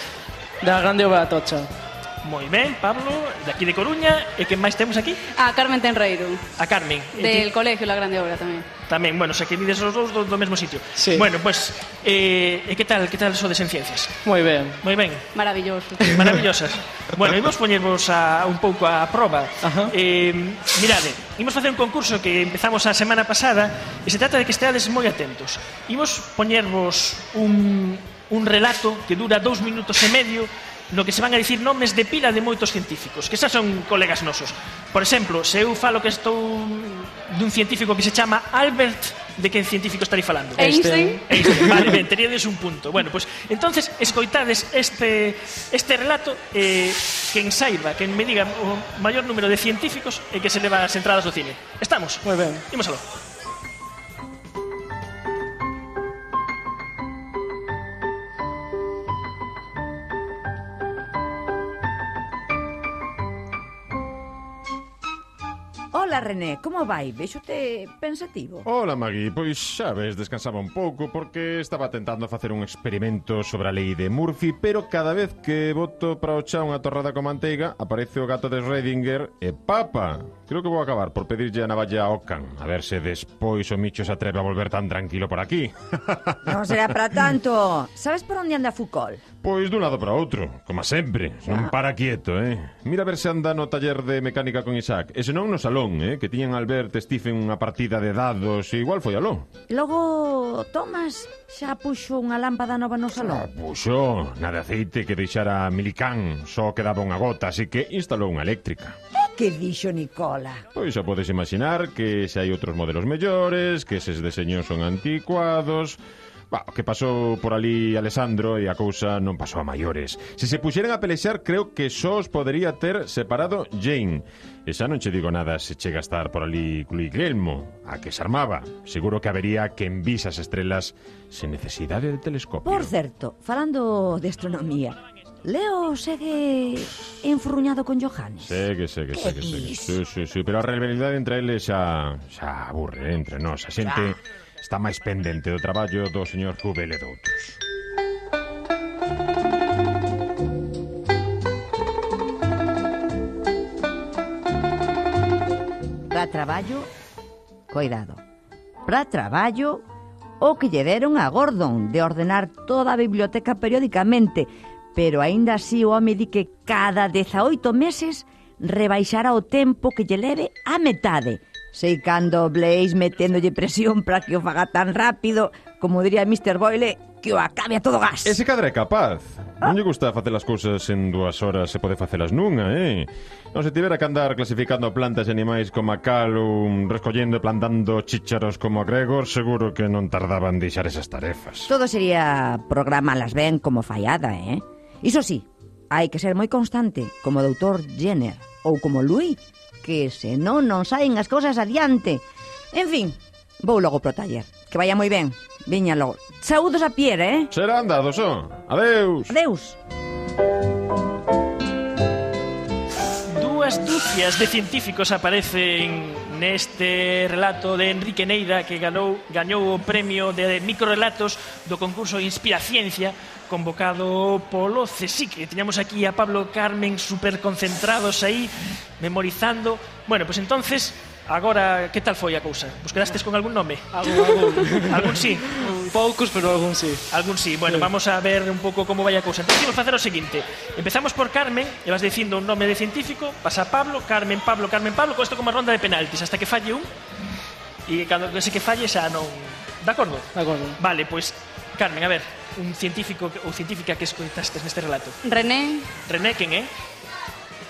Da Grande Ova Atocha. Moi ben, Pablo, de aquí de Coruña. E que máis temos aquí? A Carmen Tenreiro. A Carmen. Del colegio La Grande Obra tamén. Tamén, bueno, xa que vides os dous do, do mesmo sitio. Sí. Bueno, pues, eh, que tal, que tal sodes en ciencias? Moi ben. Moi ben. Maravilloso. Maravillosas. Bueno, imos poñervos a, un pouco a proba. Ajá. Eh, mirade, imos facer un concurso que empezamos a semana pasada e se trata de que esteades moi atentos. Imos poñervos un, un relato que dura dous minutos e medio no que se van a dicir nomes de pila de moitos científicos, que xa son colegas nosos. Por exemplo, se eu falo que estou dun científico que se chama Albert, de que científico estaría falando? Einstein. Einstein. Vale, ben, teríades un punto. Bueno, pues entonces escoitades este este relato, eh, quen saiba, quen me diga o maior número de científicos e que se leva as entradas do cine. Estamos? Moi ben. Imos aló. Hola, René, como vai? Vexote pensativo. Hola, Magui, pois xa ves, descansaba un pouco porque estaba tentando facer un experimento sobre a lei de Murphy, pero cada vez que boto para o chá unha torrada con manteiga aparece o gato de Schrödinger e papa. Creo que vou acabar por pedirlle a navalla a Ocan, a ver se despois o Micho se atreve a volver tan tranquilo por aquí. Non será para tanto. Sabes por onde anda Foucault? Pois dun lado para outro, como sempre, non para quieto, eh? Mira a ver se anda no taller de mecánica con Isaac, e senón no salón, eh? Que tiñan Albert e Stephen unha partida de dados e igual foi aló. Logo, Thomas xa puxo unha lámpada nova no salón. Ah, puxo, na de aceite que deixara Milicán, só quedaba unha gota, así que instalou unha eléctrica. Que dixo Nicola? Pois xa podes imaginar que se hai outros modelos mellores, que eses deseños son anticuados. Bah, que pasou por ali Alessandro e a cousa non pasou a maiores. Se se puxeran a pelexar, creo que só os podería ter separado Jane. E xa non che digo nada se chega a estar por ali Guglielmo, a que se armaba. Seguro que habería quen vis as estrelas sen necesidade de telescopio. Por certo, falando de astronomía, Leo segue enfurruñado con Johannes. Segue, segue, segue, segue. Sí, sí, sí, pero a rivalidade entre eles xa, xa aburre, eh, entre nós. A xente está máis pendente do traballo do señor Hubel e doutros. Para traballo, coidado. Para traballo, o que lle deron a Gordon de ordenar toda a biblioteca periódicamente, pero aínda así o home di que cada dezaoito meses rebaixará o tempo que lle leve a metade. Sei cando Blaze meténdolle presión para que o faga tan rápido, como diría mister Boyle, que o acabe a todo gas. Ese cadra é capaz. Non lle gusta facer as cousas en dúas horas, se pode facelas nunha, eh? Non se tivera que andar clasificando plantas e animais como a Callum, recollendo e plantando chícharos como a Gregor, seguro que non tardaban en deixar esas tarefas. Todo sería programalas ben como fallada, eh? Iso sí, hai que ser moi constante, como o doutor Jenner ou como Louis, que senón non saen as cousas adiante. En fin, vou logo pro taller. Que vaya moi ben. Viña logo. Saúdos a Pierre, eh? Será andado, só. Adeus. Adeus. Dúas dúcias de científicos aparecen neste relato de Enrique Neira, que ganou, gañou o premio de microrelatos do concurso Inspiraciencia, convocado polo CSIC. Teñamos aquí a Pablo Carmen super concentrados aí, memorizando. Bueno, pues entonces, agora, que tal foi a cousa? Vos quedastes con algún nome? Algún, algún. Algún sí? Poucos, pero algún sí. Algún sí. Bueno, sí. Vamos a ver un pouco como vai a cousa. Entón, vamos facer o seguinte. Empezamos por Carmen, e vas dicindo un nome de científico, pasa Pablo, Carmen, Pablo, Carmen, Pablo, con isto como ronda de penaltis, hasta que falle un, e cando ese que falle xa non... De acordo? De acordo. Vale, pois, pues, Carmen, a ver, un científico ou científica que escoitastes neste relato. René. René, quen é?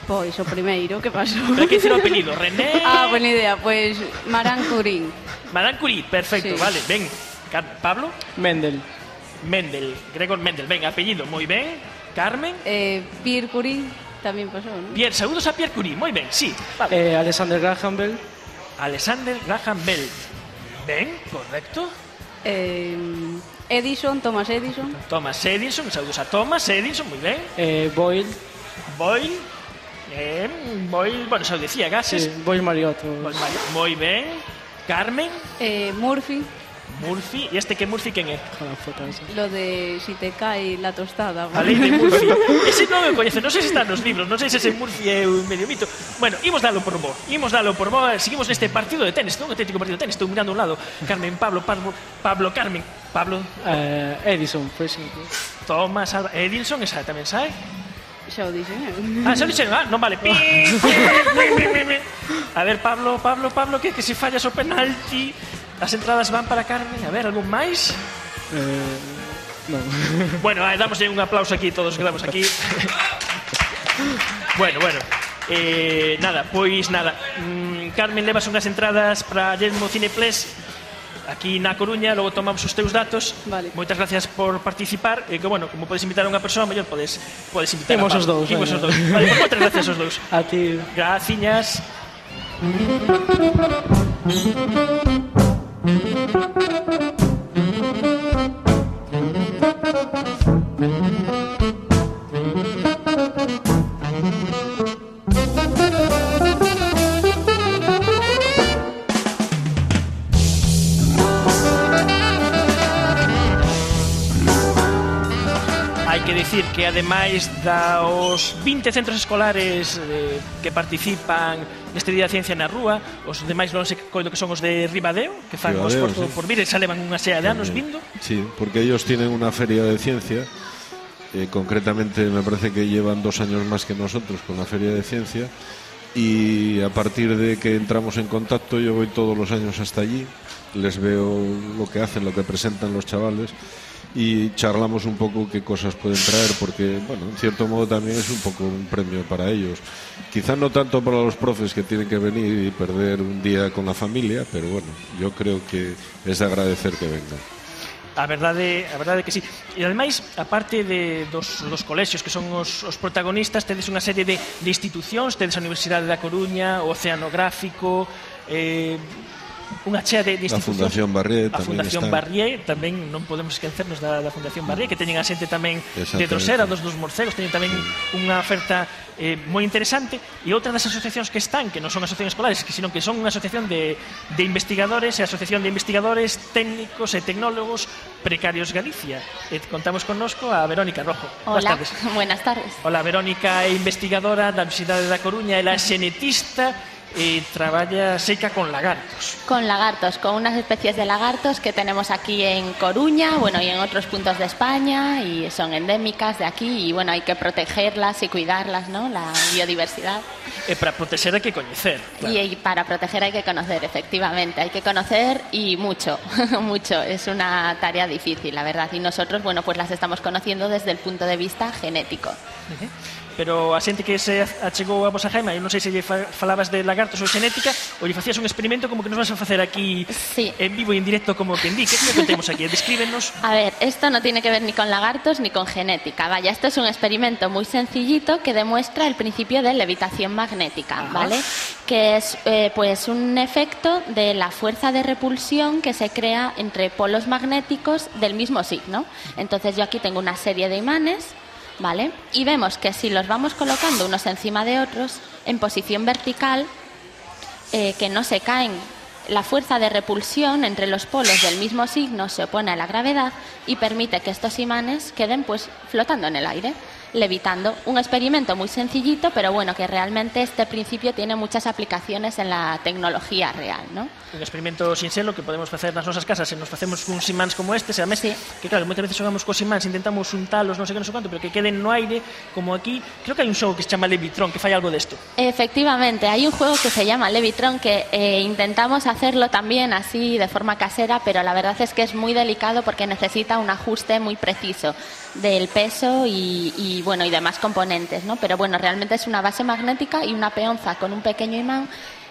Pois o primeiro, que pasou? Pero que dicir o apelido, René... Ah, buena idea, pois Maran Curie. Maran Curie, perfecto, sí. Vale, ben. Pablo? Mendel. Mendel, Gregor Mendel, ben, apellido, moi ben. Carmen? Eh, Pierre Curie, tamén pasou, non? Pierre, saúdos a Pierre Curie, moi ben, sí. Vale. Eh, Alexander Graham Bell. Alexander Graham Bell. Ben, correcto. Eh, Edison, Thomas Edison. Thomas Edison, saúdos a Thomas Edison, moi ben. Eh, Boyle. Boyle. Eh, Boyle, bueno, xa o decía, gases. Sí, Boyle Mariotto. Boyle Mariotto, moi ben. Carmen. Eh, Murphy. Murphy, e este que Murphy quen é? Lo de si te cae la tostada. A lei de Murphy. Ese non me coñece, non sei se está nos libros, non sei se ese Murphy é un medio mito. Bueno, imos dalo por bo, imos dalo por bo, seguimos neste partido de tenis, non? Un auténtico partido de tenis, estou mirando a un lado. Carmen, Pablo, Pablo, Pablo, Carmen, Pablo. Eh, Edison, por exemplo. Thomas Alva Edison, esa tamén sabe. Xa o dixen, eh? Ah, xa o dixen, ah, non vale. A ver, Pablo, Pablo, Pablo, que que se fallas o penalti... As entradas van para Carmen. A ver, algún máis? Eh, Non. Bueno, eh, damoslle un aplauso aquí todos que damos aquí. Bueno, bueno. Eh, nada, pois nada. Mm, Carmen, levas unhas entradas para Yelmo Cineplex aquí na Coruña, logo tomamos os teus datos. Vale. Moitas gracias por participar. E que, bueno, como podes invitar a unha persoa, mellor podes, podes invitar Imos a os dous. Imos os dous. Vale, pues moitas gracias aos dous. A ti. Graciñas. Hai que dicir que ademais dos vinte centros escolares eh, que participan neste Día da Ciencia na Rúa, os demais non sei coido que son os de Ribadeo, que fan o Ribadeo, esforzo sí. por vir, e xa levan unha sea de anos vindo. Sí, porque ellos tienen una feria de ciencia, eh, concretamente me parece que llevan dos años más que nosotros con la feria de ciencia, y a partir de que entramos en contacto yo voy todos los años hasta allí, les veo lo que hacen, lo que presentan los chavales, y charlamos un poco qué cosas pueden traer, porque, bueno, en cierto modo también es un poco un premio para ellos. Quizá no tanto para los profes que tienen que venir y perder un día con la familia, pero bueno, yo creo que es de agradecer que vengan. A verdade, a verdade que sí. E ademais, aparte de dos, dos colexios que son os, os protagonistas, tedes unha serie de, de institucións, tedes a Universidade da Coruña, o Oceanográfico, eh, unha chea de, de La institucións. Fundación Barrié A tamén Fundación está. Barrié, tamén non podemos esquecernos da, da Fundación Barrié, que teñen a xente tamén de Exactamente. Drosera, dos dos morcegos, teñen tamén unha oferta eh, moi interesante. E outra das asociacións que están, que non son asociacións escolares, que sino que son unha asociación de, de investigadores, e a Asociación de Investigadores Técnicos e Tecnólogos Precarios Galicia. E contamos connosco a Verónica Rojo. Boas Hola, tardes. buenas tardes. Hola, Verónica é investigadora da Universidade da Coruña, ela é xenetista e traballa seca con lagartos. Con lagartos, con unas especies de lagartos que tenemos aquí en Coruña, bueno, y en otros puntos de España, y son endémicas de aquí, y bueno, hay que protegerlas y cuidarlas, ¿no? La biodiversidad. E para proteger hai que coñecer. Claro. Y, y para proteger hay que conocer, efectivamente, hay que conocer y mucho, mucho. Es una tarea difícil, la verdad, y nosotros, bueno, pues las estamos conociendo desde el punto de vista genético. Uh-huh. Pero a xente que se achegou a vosa jaima, eu non sei se lle falabas de lagartos ou xenética, ou lle facías un experimento como que nos vas a facer aquí sí. en vivo e en directo como que indique. Que temos aquí? Descríbenos. A ver, esto no tiene que ver ni con lagartos ni con genética. Vaya, esto es un experimento muy sencillito que demuestra el principio de levitación magnética, Ajá. ¿vale? Que es eh, pues un efecto de la fuerza de repulsión que se crea entre polos magnéticos del mismo signo. Entonces yo aquí tengo una serie de imanes, ¿vale? Y vemos que si los vamos colocando unos encima de otros en posición vertical, eh, que no se caen, la fuerza de repulsión entre los polos del mismo signo se opone a la gravedad y permite que estos imanes queden pues flotando en el aire, levitando. Un experimento muy sencillito, pero bueno, que realmente este principio tiene muchas aplicaciones en la tecnología real, ¿no? Un experimento sinxelo que podemos facer nas nosas casas se nos facemos uns imáns como este, se además, sí. que claro, moitas veces xogamos cos imáns, intentamos untalos, non sei que, non sei quanto, pero que queden no aire, como aquí, creo que hai un xogo que se chama Levitron, que fai algo desto. Efectivamente, hay un juego que se llama Levitron que eh, intentamos hacerlo también así de forma casera, pero la verdad es que es muy delicado porque necesita un ajuste muy preciso del peso y, y bueno, y demás componentes, ¿no? Pero bueno, realmente es una base magnética y una peonza con un pequeño imán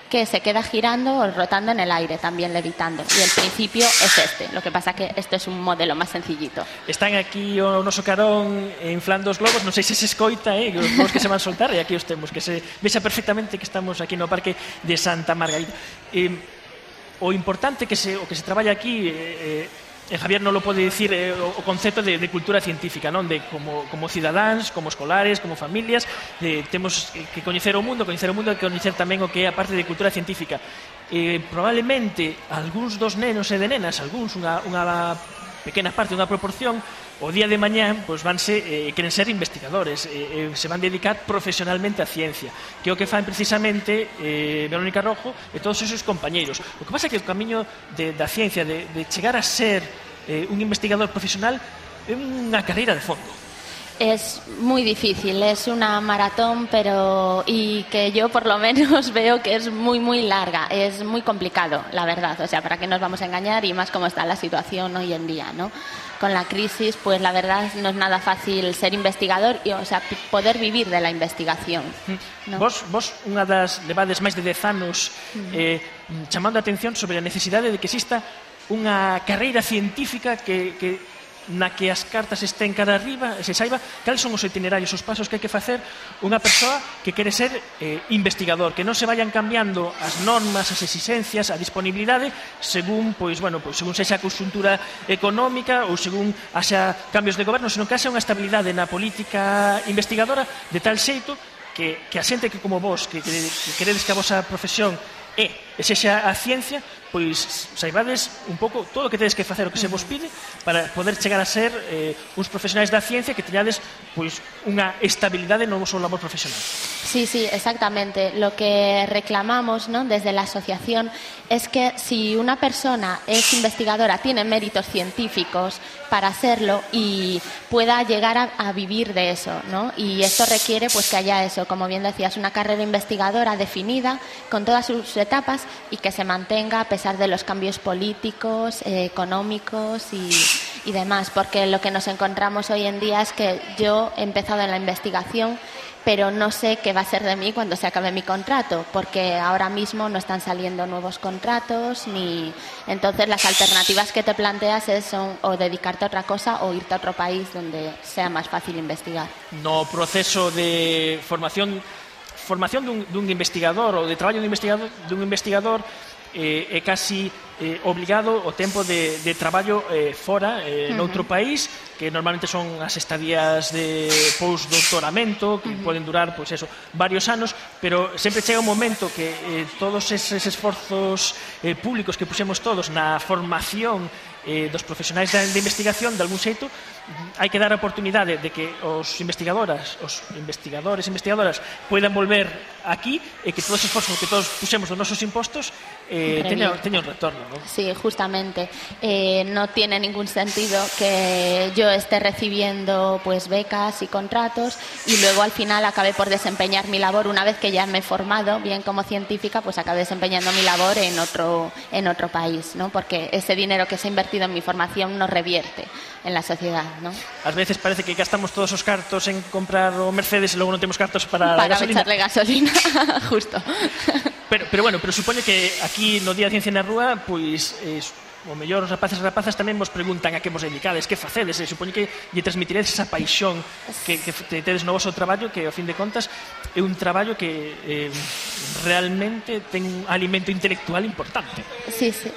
que se queda girando o rotando en el aire, también levitando. Y el principio es este. Lo que pasa que esto es un modelo más sencillito. Están aquí o noso carón inflando os globos, non sei se se escoita, eh, os globos que se van soltar, e aquí os temos, que se vexa perfectamente que estamos aquí no Parque de Santa Margarita. Eh, o importante que se, o que se traballa aquí... Eh, eh, E Javier non lo pode dicir eh, o concepto de, de cultura científica, non? De como, como cidadáns, como escolares, como familias, eh, temos que coñecer o mundo, coñecer o mundo e coñecer tamén o que é a parte de cultura científica. Eh, probablemente algúns dos nenos e de nenas, algúns, unha, unha pequena parte, unha proporción, o día de mañán pois vanse, eh, queren ser investigadores, eh, eh, se van dedicar profesionalmente á ciencia, que é o que fan precisamente eh, Verónica Rojo e todos os seus compañeiros. O que pasa é que o camiño de, da ciencia, de, de chegar a ser eh, un investigador profesional, é unha carreira de fondo. Es muy difícil, es una maratón, pero y que yo por lo menos veo que es muy, muy larga, es muy complicado, la verdad. O sea, ¿para qué nos vamos a engañar? Y más como está la situación hoy en día, ¿no? Con la crisis, pues la verdad no es nada fácil ser investigador y, o sea, poder vivir de la investigación, ¿no? Vos, vos unha das levades máis de dez anos eh, chamando a atención sobre a necesidade de que exista unha carreira científica que, que na que as cartas estén cara arriba, se saiba cales son os itinerarios, os pasos que hai que facer unha persoa que quere ser eh, investigador, que non se vayan cambiando as normas, as exigencias, a disponibilidade según, pois, bueno, pois, según sexa a conxuntura económica ou según haxa cambios de goberno, senón que haxa unha estabilidade na política investigadora de tal xeito que, que a xente que como vos, que, que, que queredes que a vosa profesión é, e sexa a ciencia, pois saibades un pouco todo o que tedes que facer, o que se vos pide para poder chegar a ser eh, uns profesionais da ciencia que teñades pois unha estabilidade no vosso labor profesional. Sí, sí, exactamente. Lo que reclamamos, ¿no?, desde la asociación es que si una persona es investigadora, tiene méritos científicos para hacerlo y pueda llegar a, a vivir de eso, ¿no? Y esto requiere pues que haya eso, como bien decías, una carrera investigadora definida con todas sus etapas y que se mantenga a pesar de los cambios políticos, eh, económicos y, y demás, porque lo que nos encontramos hoy en día es que yo he empezado en la investigación, pero no sé qué va a ser de mí cuando se acabe mi contrato, porque ahora mismo no están saliendo nuevos contratos, ni entonces las alternativas que te planteas es, son o dedicarte a otra cosa o irte a otro país donde sea más fácil investigar. No proceso de formación formación dun, dun investigador ou de traballo dun investigador, dun investigador eh, é casi eh, obligado o tempo de, de traballo eh, fora, eh, uh-huh. noutro país, que normalmente son as estadías de postdoctoramento, que uh-huh. poden durar, pois eso, varios anos, pero sempre chega un momento que eh, todos eses esforzos eh, públicos que puxemos todos na formación eh, dos profesionais de, de investigación, de algún xeito, hai que dar a oportunidade de que os investigadoras, os investigadores e investigadoras puedan volver aquí e que todos os esforzos que todos puxemos dos nosos impostos eh, teñan, teñan un retorno, ¿no? Sí, justamente. Eh, no tiene ningún sentido que yo esté recibiendo pues becas y contratos y luego al final acabe por desempeñar mi labor una vez que ya me he formado bien como científica, pues acabe desempeñando mi labor en otro, en otro país, ¿no? Porque ese dinero que se ha invertido en mi formación no revierte en la sociedad, ¿no? Ás veces parece que gastamos todos os cartos en comprar o Mercedes e logo non temos cartos para, para a gasolina. echarle gasolina, justo. Pero, pero bueno, pero supoño que aquí no Día de Ciencia na Rúa, pois eh, o mellor os rapaces e rapazas tamén vos preguntan a que vos dedicades, que facedes, e supoño que lle transmitiredes esa paixón que, que tedes no vosso traballo, que ao fin de contas é un traballo que eh, realmente ten un alimento intelectual importante. Sí, sí.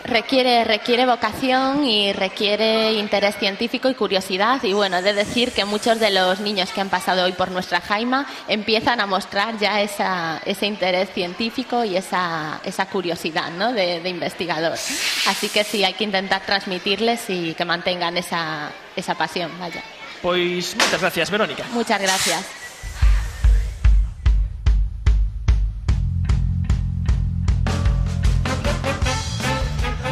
Requiere, requiere vocación y requiere interés científico y curiosidad. Y bueno, he de decir que muchos de los niños que han pasado hoy por nuestra Jaima empiezan a mostrar ya esa, ese interés científico y esa, esa curiosidad, ¿no?, de, de investigador. Así que sí, hay que intentar transmitirles y que mantengan esa, esa pasión, vaya. Pois moitas gracias, Verónica. Muchas gracias.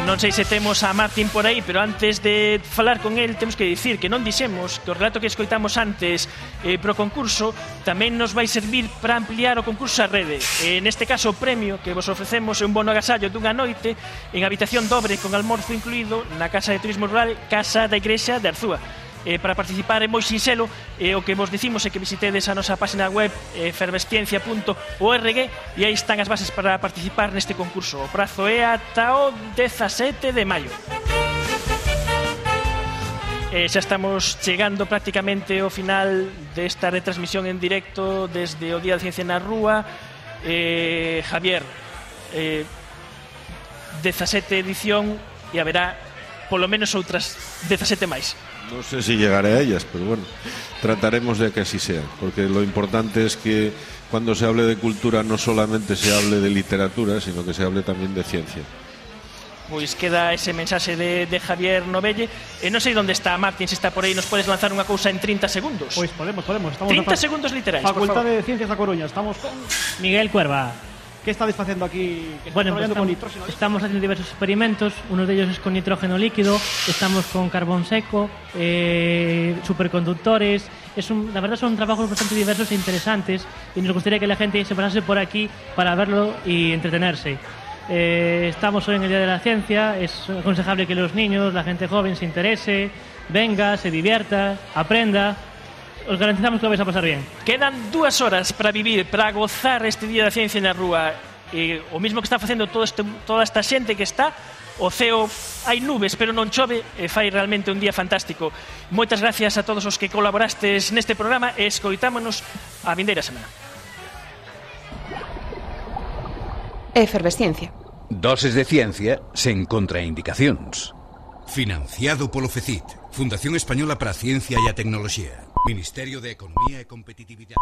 Non sei se temos a Martín por aí, pero antes de falar con el temos que dicir que non dixemos que o relato que escoitamos antes eh, pro concurso tamén nos vai servir para ampliar o concurso a rede. Eh, neste caso o premio que vos ofrecemos é un bono agasallo dunha noite en habitación dobre con almorzo incluído na Casa de Turismo Rural Casa da Igrexa de Arzúa. Eh, para participar é moi sinxelo, eh, o que vos dicimos é que visitedes a nosa página web eh, efervesciencia punto org e aí están as bases para participar neste concurso. O prazo é ata o dezasete de maio. Eh, xa estamos chegando prácticamente ao final desta retransmisión en directo desde o Día de Ciencia na Rúa. eh, Javier, eh, dezasete edición e haberá polo menos outras dezasete máis. No sé si llegaré a ellas, pero bueno, trataremos de que así sea, porque lo importante es que cuando se hable de cultura no solamente se hable de literatura, sino que se hable también de ciencia. Pois queda ese mensaxe de, de Javier Novelle. E non sei onde está Martín, se está por aí, nos podes lanzar unha cousa en trinta segundos. Pois podemos, podemos. Estamos trinta na segundos literais, Facultade de Ciencias da Coruña. Estamos con Miguel Cuerva. que estáis facendo aquí? Que Bueno, pues traballando con estamos, nitróxeno líquido? estamos haciendo diversos experimentos, uno de ellos es con nitrógeno líquido, estamos con carbón seco, eh, superconductores. Es un, la verdad son trabajos bastante diversos e interesantes y nos gustaría que la gente se pasase por aquí para verlo y entretenerse. Eh, estamos hoy en el Día de la Ciencia, es aconsejable que los niños, la gente joven se interese, venga, se divierta, aprenda. Os garantizamos que lo vais a pasar bien. Quedan dúas horas para vivir, para gozar este Día da Ciencia na rúa. E o mismo que está facendo todo este, toda esta xente que está, o ceo hai nubes, pero non chove, e fai realmente un día fantástico. Moitas gracias a todos os que colaborastes neste programa e escoitámonos a vindeira semana. Efervesciencia. Doses de ciencia sen contraindicacións. Financiado polo FECIT, Fundación Española para a Ciencia e a Tecnoloxía, Ministerio de Economía e Competitividade.